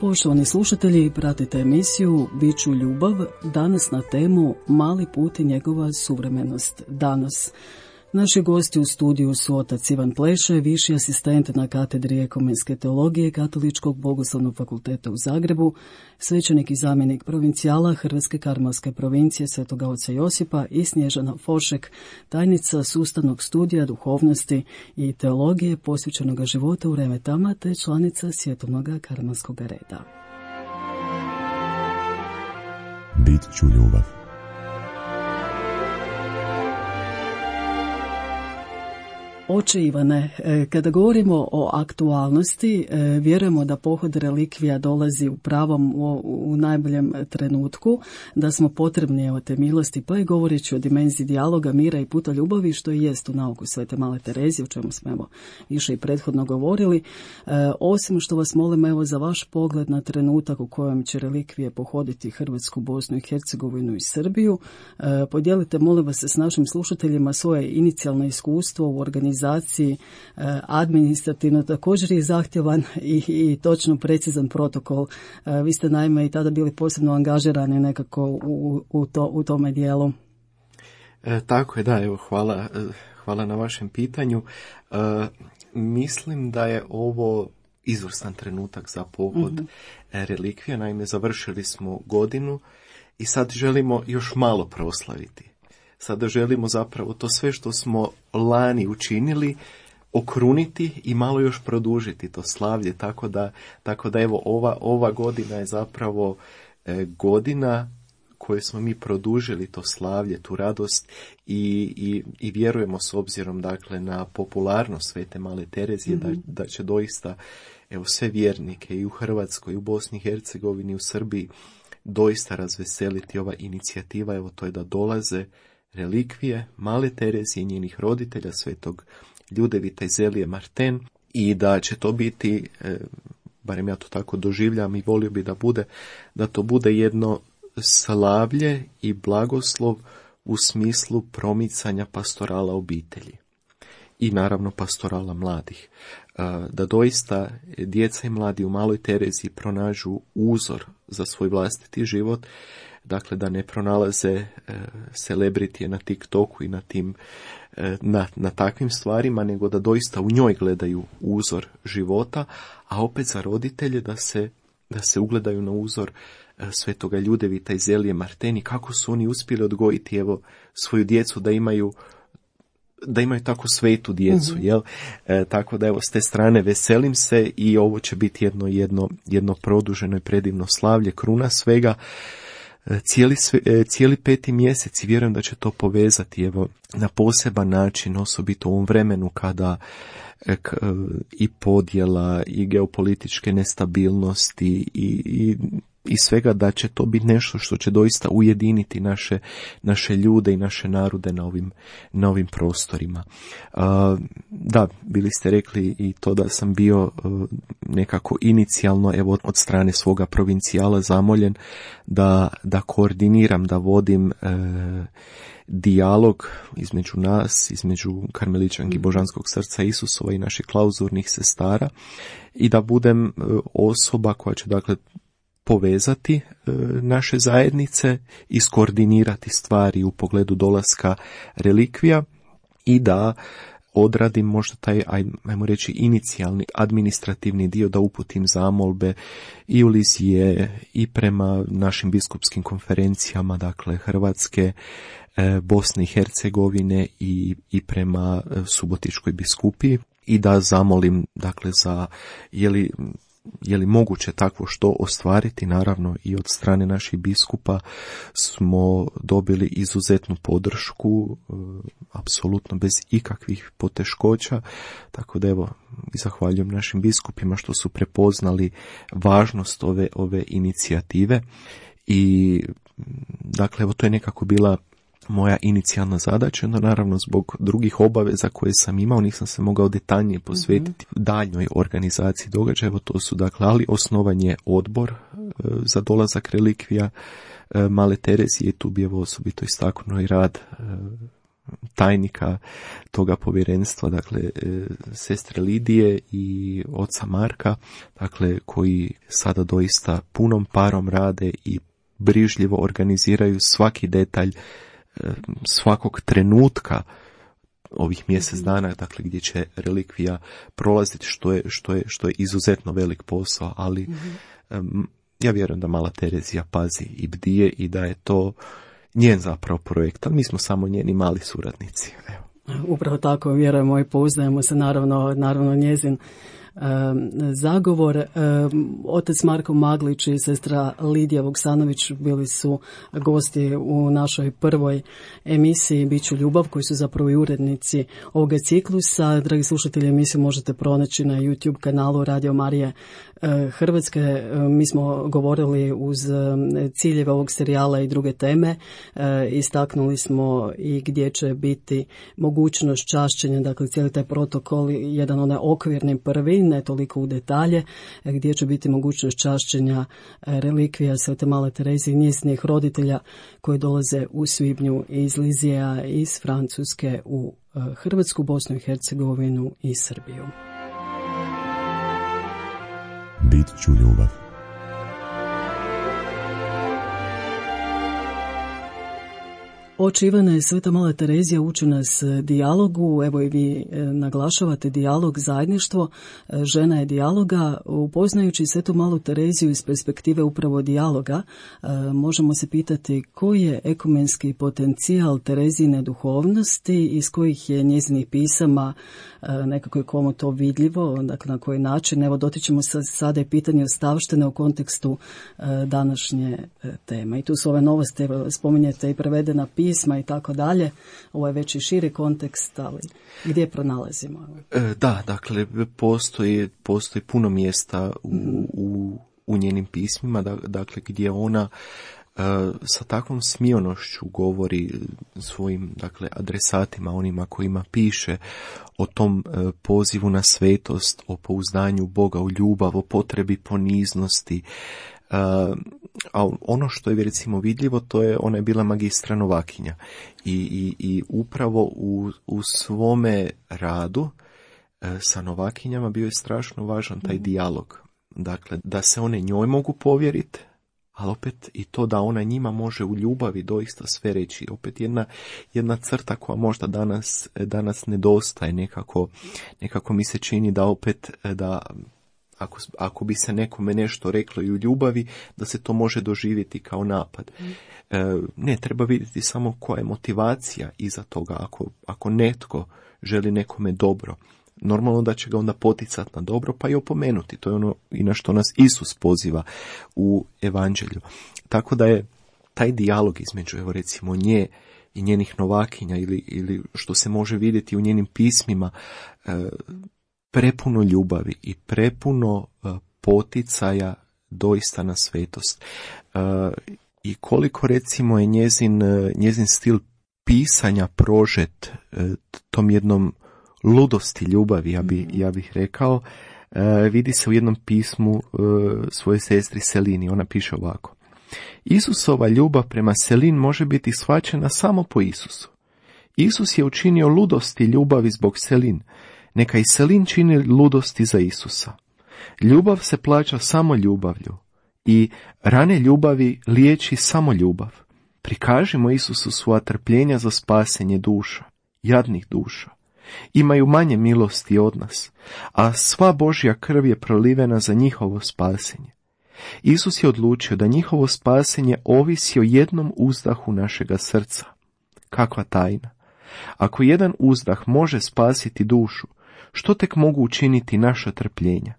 Poštovani slušatelji, pratite emisiju Biću ljubav, danas na temu Mali put i njegova suvremenost danas. Naši gosti u studiju su otac Ivan Pleše, viši asistent na katedri ekumenske teologije Katoličkog bogoslovnog fakulteta u Zagrebu, svećenik i zamjenik provincijala Hrvatske karmelske provincije Svetoga oca Josipa i Snježana Fošek, tajnica sustavnog studija duhovnosti i teologije posvećenoga života u Remetama te članica Svjetovnog karmelskog reda. Bit ću ljubav. Oče Ivane, kada govorimo o aktualnosti, vjerujemo da pohod relikvija dolazi u pravom, u najboljem trenutku, da smo potrebni evo te milosti, pa i govoreći o dimenziji dijaloga, mira i puta ljubavi, što i jest u nauku Svete Male Terezije, o čemu smo evo više i prethodno govorili. Osim što vas molim evo za vaš pogled na trenutak u kojem će relikvije pohoditi Hrvatsku, Bosnu i Hercegovinu i Srbiju, podijelite molim vas s našim slušateljima svoje inicijalno iskustvo u organizaciji. Administrativno također je zahtjevan i točno precizan protokol. Vi ste naime i tada bili posebno angažirani nekako u tome dijelu. Tako je, da, evo hvala na vašem pitanju. Mislim da je ovo izvrstan trenutak za pohod relikvija. Naime, završili smo godinu i sad želimo još malo proslaviti. Sada želimo zapravo to sve što smo lani učinili okruniti i malo još produžiti to slavlje, tako da evo ova godina je zapravo godina koje smo mi produžili to slavlje, tu radost i vjerujemo s obzirom dakle na popularnost Svete Male Terezije da će doista evo sve vjernike i u Hrvatskoj, i u Bosni i Hercegovini, i u Srbiji doista razveseliti ova inicijativa, evo to je da dolaze relikvije Male Terezije i njenih roditelja, svetog Ljudevita i Zelije Marten, i da će to biti, barem ja to tako doživljam i volio bi da to bude jedno slavlje i blagoslov u smislu promicanja pastorala obitelji i naravno pastorala mladih. Da doista djeca i mladi u Maloj Tereziji pronađu uzor za svoj vlastiti život, dakle da ne pronalaze celebritije na TikToku i na tim na takvim stvarima, nego da doista u njoj gledaju uzor života, a opet za roditelje da se ugledaju na uzor svetoga Ljudevita i Zelije Marteni, kako su oni uspjeli odgojiti evo svoju djecu da imaju tako svetu djecu, jel? Tako da evo s te strane veselim se i ovo će biti jedno produženo i predivno slavlje, kruna svega. Cijeli 5. mjesec i vjerujem da će to povezati evo na poseban način, osobito u ovom vremenu kada i podjela i geopolitičke nestabilnosti i svega, da će to biti nešto što će doista ujediniti naše ljude i naše narode na ovim prostorima. Da, bili ste rekli i to da sam bio nekako inicijalno evo od strane svoga provincijala zamoljen da koordiniram, da vodim dijalog između nas, između Karmeličanki Božanskog srca Isusova i naših klauzurnih sestara i da budem osoba koja će dakle povezati naše zajednice, iskoordinirati stvari u pogledu dolaska relikvija i da odradim možda taj, ajmo reći, inicijalni administrativni dio, da uputim zamolbe i u Lizije i prema našim biskupskim konferencijama, dakle Hrvatske, Bosne i Hercegovine i prema Subotičkoj biskupiji, i da zamolim dakle za je li moguće takvo što ostvariti. Naravno i od strane naših biskupa smo dobili izuzetnu podršku, apsolutno bez ikakvih poteškoća, tako da evo i zahvaljujem našim biskupima što su prepoznali važnost ove inicijative i dakle evo to je nekako bila moja inicijalna zadaća, no naravno zbog drugih obaveza koje sam imao nisam se mogao detaljnije posvetiti daljnjoj organizaciji događaja. Evo to su dakle, ali osnovan je odbor za dolazak relikvija Male Terezije i tu bi evo osobito istaknuo i rad tajnika toga povjerenstva, dakle sestre Lidije i oca Marka, dakle koji sada doista punom parom rade i brižljivo organiziraju svaki detalj svakog trenutka ovih mjesec dana, dakle gdje će relikvija prolaziti, što je izuzetno velik posao, ali ja vjerujem da Mala Terezija pazi i bdije i da je to njen zapravo projekt, ali mi smo samo njeni mali suradnici. Evo. Upravo tako vjerujemo i pouzdajemo se, naravno njezin zagovor. Otac Marko Maglić i sestra Lidija Vuksanović bili su gosti u našoj prvoj emisiji Biću ljubav, koji su zapravo i urednici ovoga ciklusa. Dragi slušatelji, emisiju možete pronaći na YouTube kanalu Radio Marije Hrvatske. Mi smo govorili uz ciljeve ovog serijala i druge teme. Istaknuli smo i gdje će biti mogućnost čašćenja, dakle cijeli taj protokol, jedan onaj okvirni prvi, ne toliko u detalje, gdje će biti mogućnost čašćenja relikvija Svete Male Terezije i njezinih roditelja koji dolaze u svibnju iz Lizija, iz Francuske u Hrvatsku, Bosnu i Hercegovinu i Srbiju. Bit ću ljubav. Oče Ivane, Sveta Mala Terezija uči nas dijalogu, evo i vi naglašavate dijalog, zajedništvo, žena je dijaloga. Upoznajući Svetu Malu Tereziju iz perspektive upravo dijaloga, možemo se pitati koji je ekumenski potencijal Terezijine duhovnosti, iz kojih je njezinih pisama, nekako je komu to vidljivo, dakle na koji način. Evo dotičemo se sada i pitanje ostavštine u kontekstu današnje teme. I tu su ove novosti, spominjete i prevedena pisma i tako dalje. Ovo je već i širi kontekst, ali gdje pronalazimo? Da, dakle, postoji puno mjesta u njenim pismima, dakle, gdje ona sa takvom smionošću govori svojim, dakle, adresatima, onima kojima piše o tom pozivu na svetost, o pouzdanju Boga u ljubav, o potrebi poniznosti. A ono što je recimo vidljivo, to je, ona je bila magistra novakinja i upravo u svome radu sa novakinjama bio je strašno važan taj dijalog. Dakle, da se one njoj mogu povjeriti, ali opet i to da ona njima može u ljubavi doista sve reći. Opet jedna crta koja možda danas nedostaje, nekako mi se čini da opet da ako bi se nekome nešto reklo i u ljubavi, da se to može doživjeti kao napad. Ne, treba vidjeti samo koja je motivacija iza toga. Ako netko želi nekome dobro, normalno da će ga onda poticati na dobro, pa i opomenuti. To je ono i na što nas Isus poziva u evanđelju. Tako da je taj dijalog između, evo recimo, nje i njenih novakinja ili što se može vidjeti u njenim pismima, prepuno ljubavi i prepuno poticaja doista na svetost. I koliko recimo je njezin stil pisanja prožet tom jednom ludosti ljubavi, ja bih rekao, vidi se u jednom pismu svoje sestri Selini. Ona piše ovako: Isusova ljubav prema Selin može biti shvaćena samo po Isusu. Isus je učinio ludosti ljubavi zbog Selin. Neka i Selin čini ludosti za Isusa. Ljubav se plaća samo ljubavlju i rane ljubavi liječi samo ljubav. Prikažimo Isusu svoja trpljenja za spasenje duša, jadnih duša. Imaju manje milosti od nas, a sva Božja krv je prolivena za njihovo spasenje. Isus je odlučio da njihovo spasenje ovisi o jednom uzdahu našega srca. Kakva tajna! Ako jedan uzdah može spasiti dušu, što tek mogu učiniti naša trpljenja?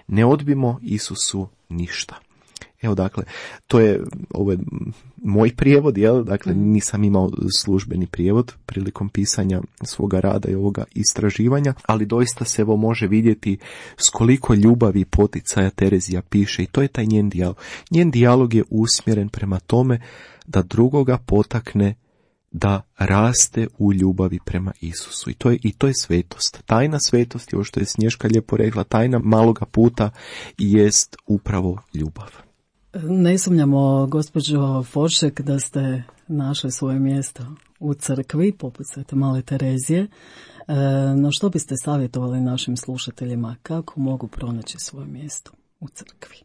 Ne odbimo Isusu ništa. Evo, dakle, ovo je moj prijevod, jel? Dakle, nisam imao službeni prijevod prilikom pisanja svoga rada i ovoga istraživanja, ali doista se evo može vidjeti s koliko ljubavi i poticaja Terezija piše, i to je taj njen dijalog. Njen dijalog je usmjeren prema tome da drugoga potakne da raste u ljubavi prema Isusu. I to je svetost. Tajna svetosti, ovo što je Snješka lijepo rekla, tajna maloga puta jest upravo ljubav. Ne sumnjamo, gospođo Foršek, da ste našli svoje mjesto u crkvi, poput Svete Male Terezije. No što biste savjetovali našim slušateljima? Kako mogu pronaći svoje mjesto u crkvi?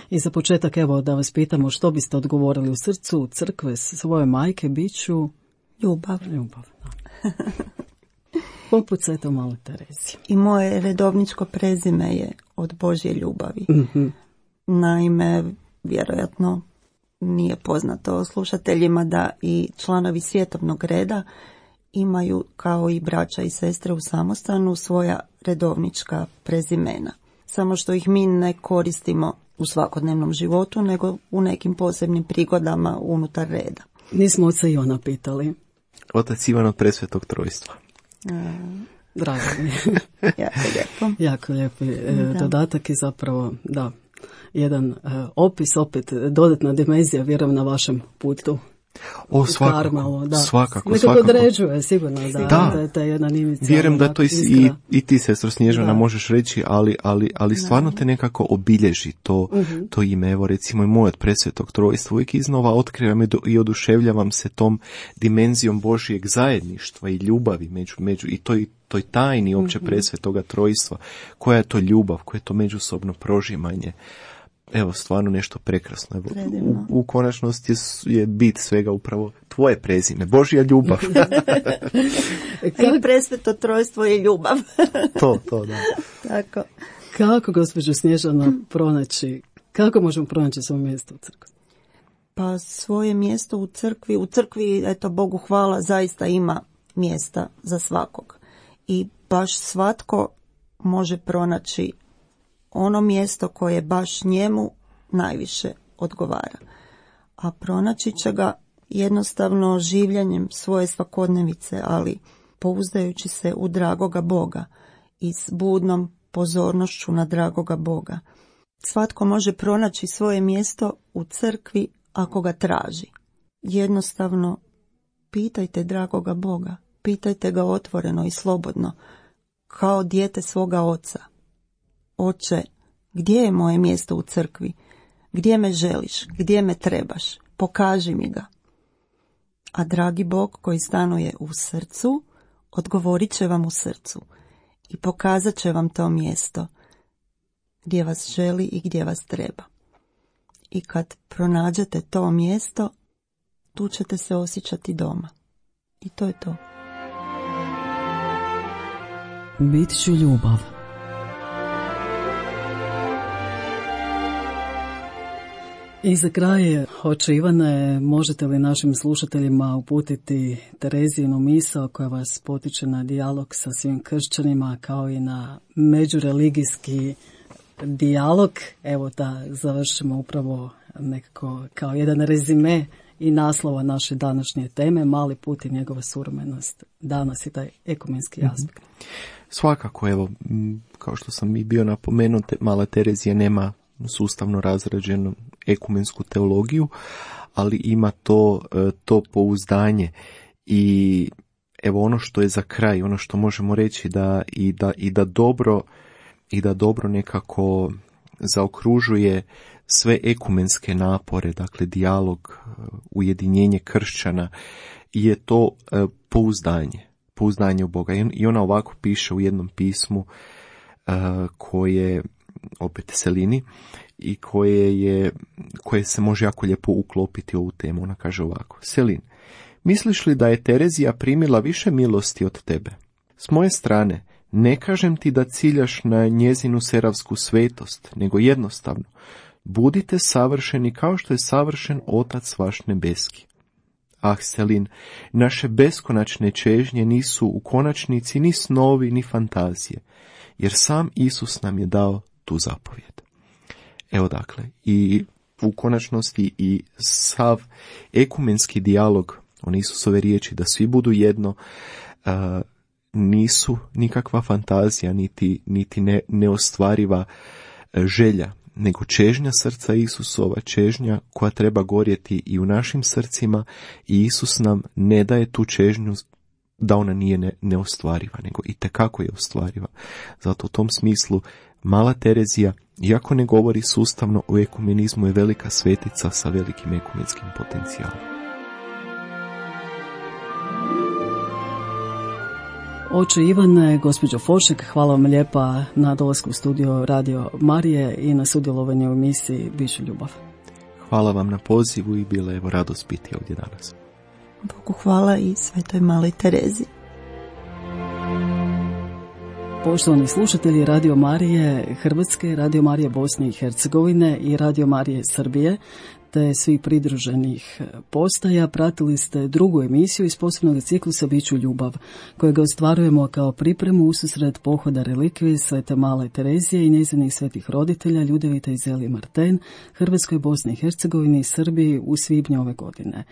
I za početak, evo, da vas pitamo što biste odgovorili u srcu crkve svoje majke, biću ljubav. Ljubav, da. Poput Svete Male Terezije. I moje redovničko prezime je od Božje ljubavi. Mm-hmm. Naime, vjerojatno nije poznato slušateljima da i članovi svjetovnog reda imaju, kao i braća i sestre u samostanu, svoja redovnička prezimena. samo što ih mi ne koristimo u svakodnevnom životu, nego u nekim posebnim prigodama unutar reda. Nismo oca Ivana pitali. Otac Ivan od Presvetog Trojstva. Drago mi je. Jako lijepo. Jako lijepi dodatak i zapravo, da, jedan opis, opet dodatna dimenzija, vjerujem, na vašem putu. O, svakako, Karmelu, da. svakako. Nekako određuje, sigurno, da je jedan inicijalna. Vjerujem da to i ti, sestro Snježana, možeš reći, ali stvarno te nekako obilježi to ime. Evo, recimo i moj od Presvetog Trojstva, uvijek iznova otkrivam i oduševljavam se tom dimenzijom Božijeg zajedništva i ljubavi među i toj tajni opće Presvetoga Trojstva. Koja je to ljubav, koje je to međusobno prožimanje. Evo, stvarno nešto prekrasno. Evo, u konačnosti je bit svega upravo tvoje prezime, Božja ljubav. I Presveto Trojstvo je ljubav. to, da. Tako. Kako, gospođo Snježana, kako možemo pronaći svoje mjesto u crkvi? Pa svoje mjesto u crkvi, eto, Bogu hvala, zaista ima mjesta za svakog. I baš svatko može pronaći ono mjesto koje baš njemu najviše odgovara. A pronaći će ga jednostavno življenjem svoje svakodnevice, ali pouzdajući se u dragoga Boga i s budnom pozornošću na dragoga Boga. Svatko može pronaći svoje mjesto u crkvi ako ga traži. Jednostavno, pitajte dragoga Boga, pitajte ga otvoreno i slobodno, kao dijete svoga oca. Oče, gdje je moje mjesto u crkvi? Gdje me želiš? Gdje me trebaš? Pokaži mi ga. A dragi Bog koji stanuje u srcu, odgovorit će vam u srcu i pokazat će vam to mjesto gdje vas želi i gdje vas treba. I kad pronađete to mjesto, tu ćete se osjećati doma. I to je to. Bit ću ljubav. I za kraj, oče Ivane, možete li našim slušateljima uputiti Terezijinu misao koja vas potiče na dijalog sa svim kršćanima, kao i na međureligijski dijalog? Evo da završimo upravo nekako kao jedan rezime i naslova naše današnje teme, mali put i njegova suvremenost danas i taj ekumenski aspekt. Svakako, evo, kao što sam i bio napomenuo, mala Terezija nema sustavno razrađenu ekumensku teologiju, ali ima to pouzdanje. I evo, ono što je za kraj, ono što možemo reći da dobro nekako zaokružuje sve ekumenske napore, dakle dijalog, ujedinjenje kršćana, je to pouzdanje u Boga. I ona ovako piše u jednom pismu koje opet Selini i koje se može jako lijepo uklopiti u ovu temu. Ona kaže ovako: Selin, misliš li da je Terezija primila više milosti od tebe? S moje strane, ne kažem ti da ciljaš na njezinu seravsku svetost, nego jednostavno, budite savršeni kao što je savršen Otac vaš nebeski. Ah, Selin, naše beskonačne čežnje nisu u konačnici ni snovi, ni fantazije, jer sam Isus nam je dao tu zapovjed. Evo dakle, i u konačnosti i sav ekumenski dijalog, one Isusove riječi da svi budu jedno, nisu nikakva fantazija, niti neostvariva želja, nego čežnja srca Isusova, čežnja koja treba gorjeti i u našim srcima, i Isus nam ne daje tu čežnju da ona nije neostvariva, nego itekako je ostvariva. Zato u tom smislu mala Terezija, iako ne govori sustavno o ekumenizmu, je velika svetica sa velikim ekumenskim potencijalom. Oče Ivane, gospođo Fošek, hvala vam lijepa na dolasku u studio Radio Marije i na sudjelovanju u emisiji Biću ljubav. Hvala vam na pozivu i bila je radost biti ovdje danas. Bogu hvala i Svetoj maloj Terezi. Poštovani slušatelji Radio Marije Hrvatske, Radio Marije Bosne i Hercegovine i Radio Marije Srbije, te svih pridruženih postaja pratili ste drugu emisiju iz posebnog ciklusa Biću ljubav, kojega ostvarujemo kao pripremu ususret pohoda relikvije Svete Male Terezije i njezinih svetih roditelja Ljudevita i Zelije Marten, Hrvatskoj, Bosni i Hercegovini i Srbiji u svibnju ove godine.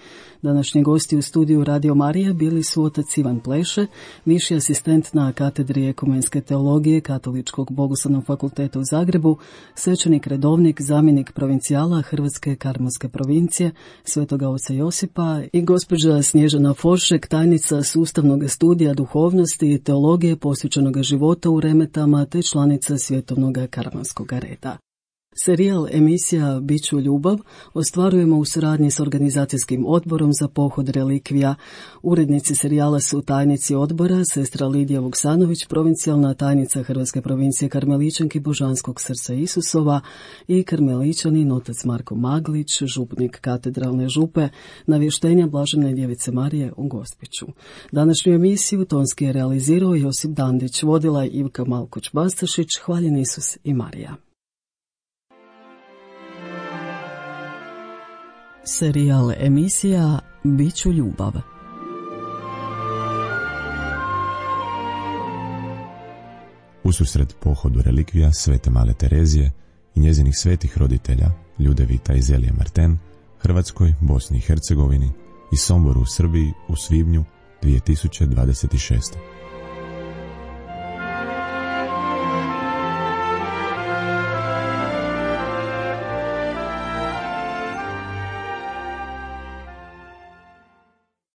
Današnji gosti u studiju Radio Marija bili su otac Ivan Pleše, viši asistent na katedri ekumenske teologije Katoličkog bogoslovnog fakulteta u Zagrebu, svećenik redovnik, zamjenik provincijala Hrvatske Karmelske provincije Svetoga oca Josipa i gospođa Snježana Foršek, tajnica sustavnog studija duhovnosti i teologije posvećenog života u Remetama te članica Svjetovnog Karmelskog reda. Serijal emisija Biću ljubav ostvarujemo u suradnji s organizacijskim odborom za pohod relikvija. Urednici serijala su tajnici odbora, sestra Lidija Vuksanović, provincijalna tajnica Hrvatske provincije Karmeličanki Božanskog srca Isusova i karmeličanin otac Marko Maglić, župnik katedralne župe, navještenja Blažene Djevice Marije u Gospiću. Današnju emisiju tonski je realizirao Josip Dandić, vodila je Ivka Malkoć-Bastašić. Hvaljen Isus i Marija. Serijal emisija Biću ljubav. Ususret pohodu relikvija Svete Male Terezije i njezinih svetih roditelja Ljudevita i Zelije Marten, Hrvatskoj, Bosni i Hercegovini i Somboru u Srbiji u svibnju 2026.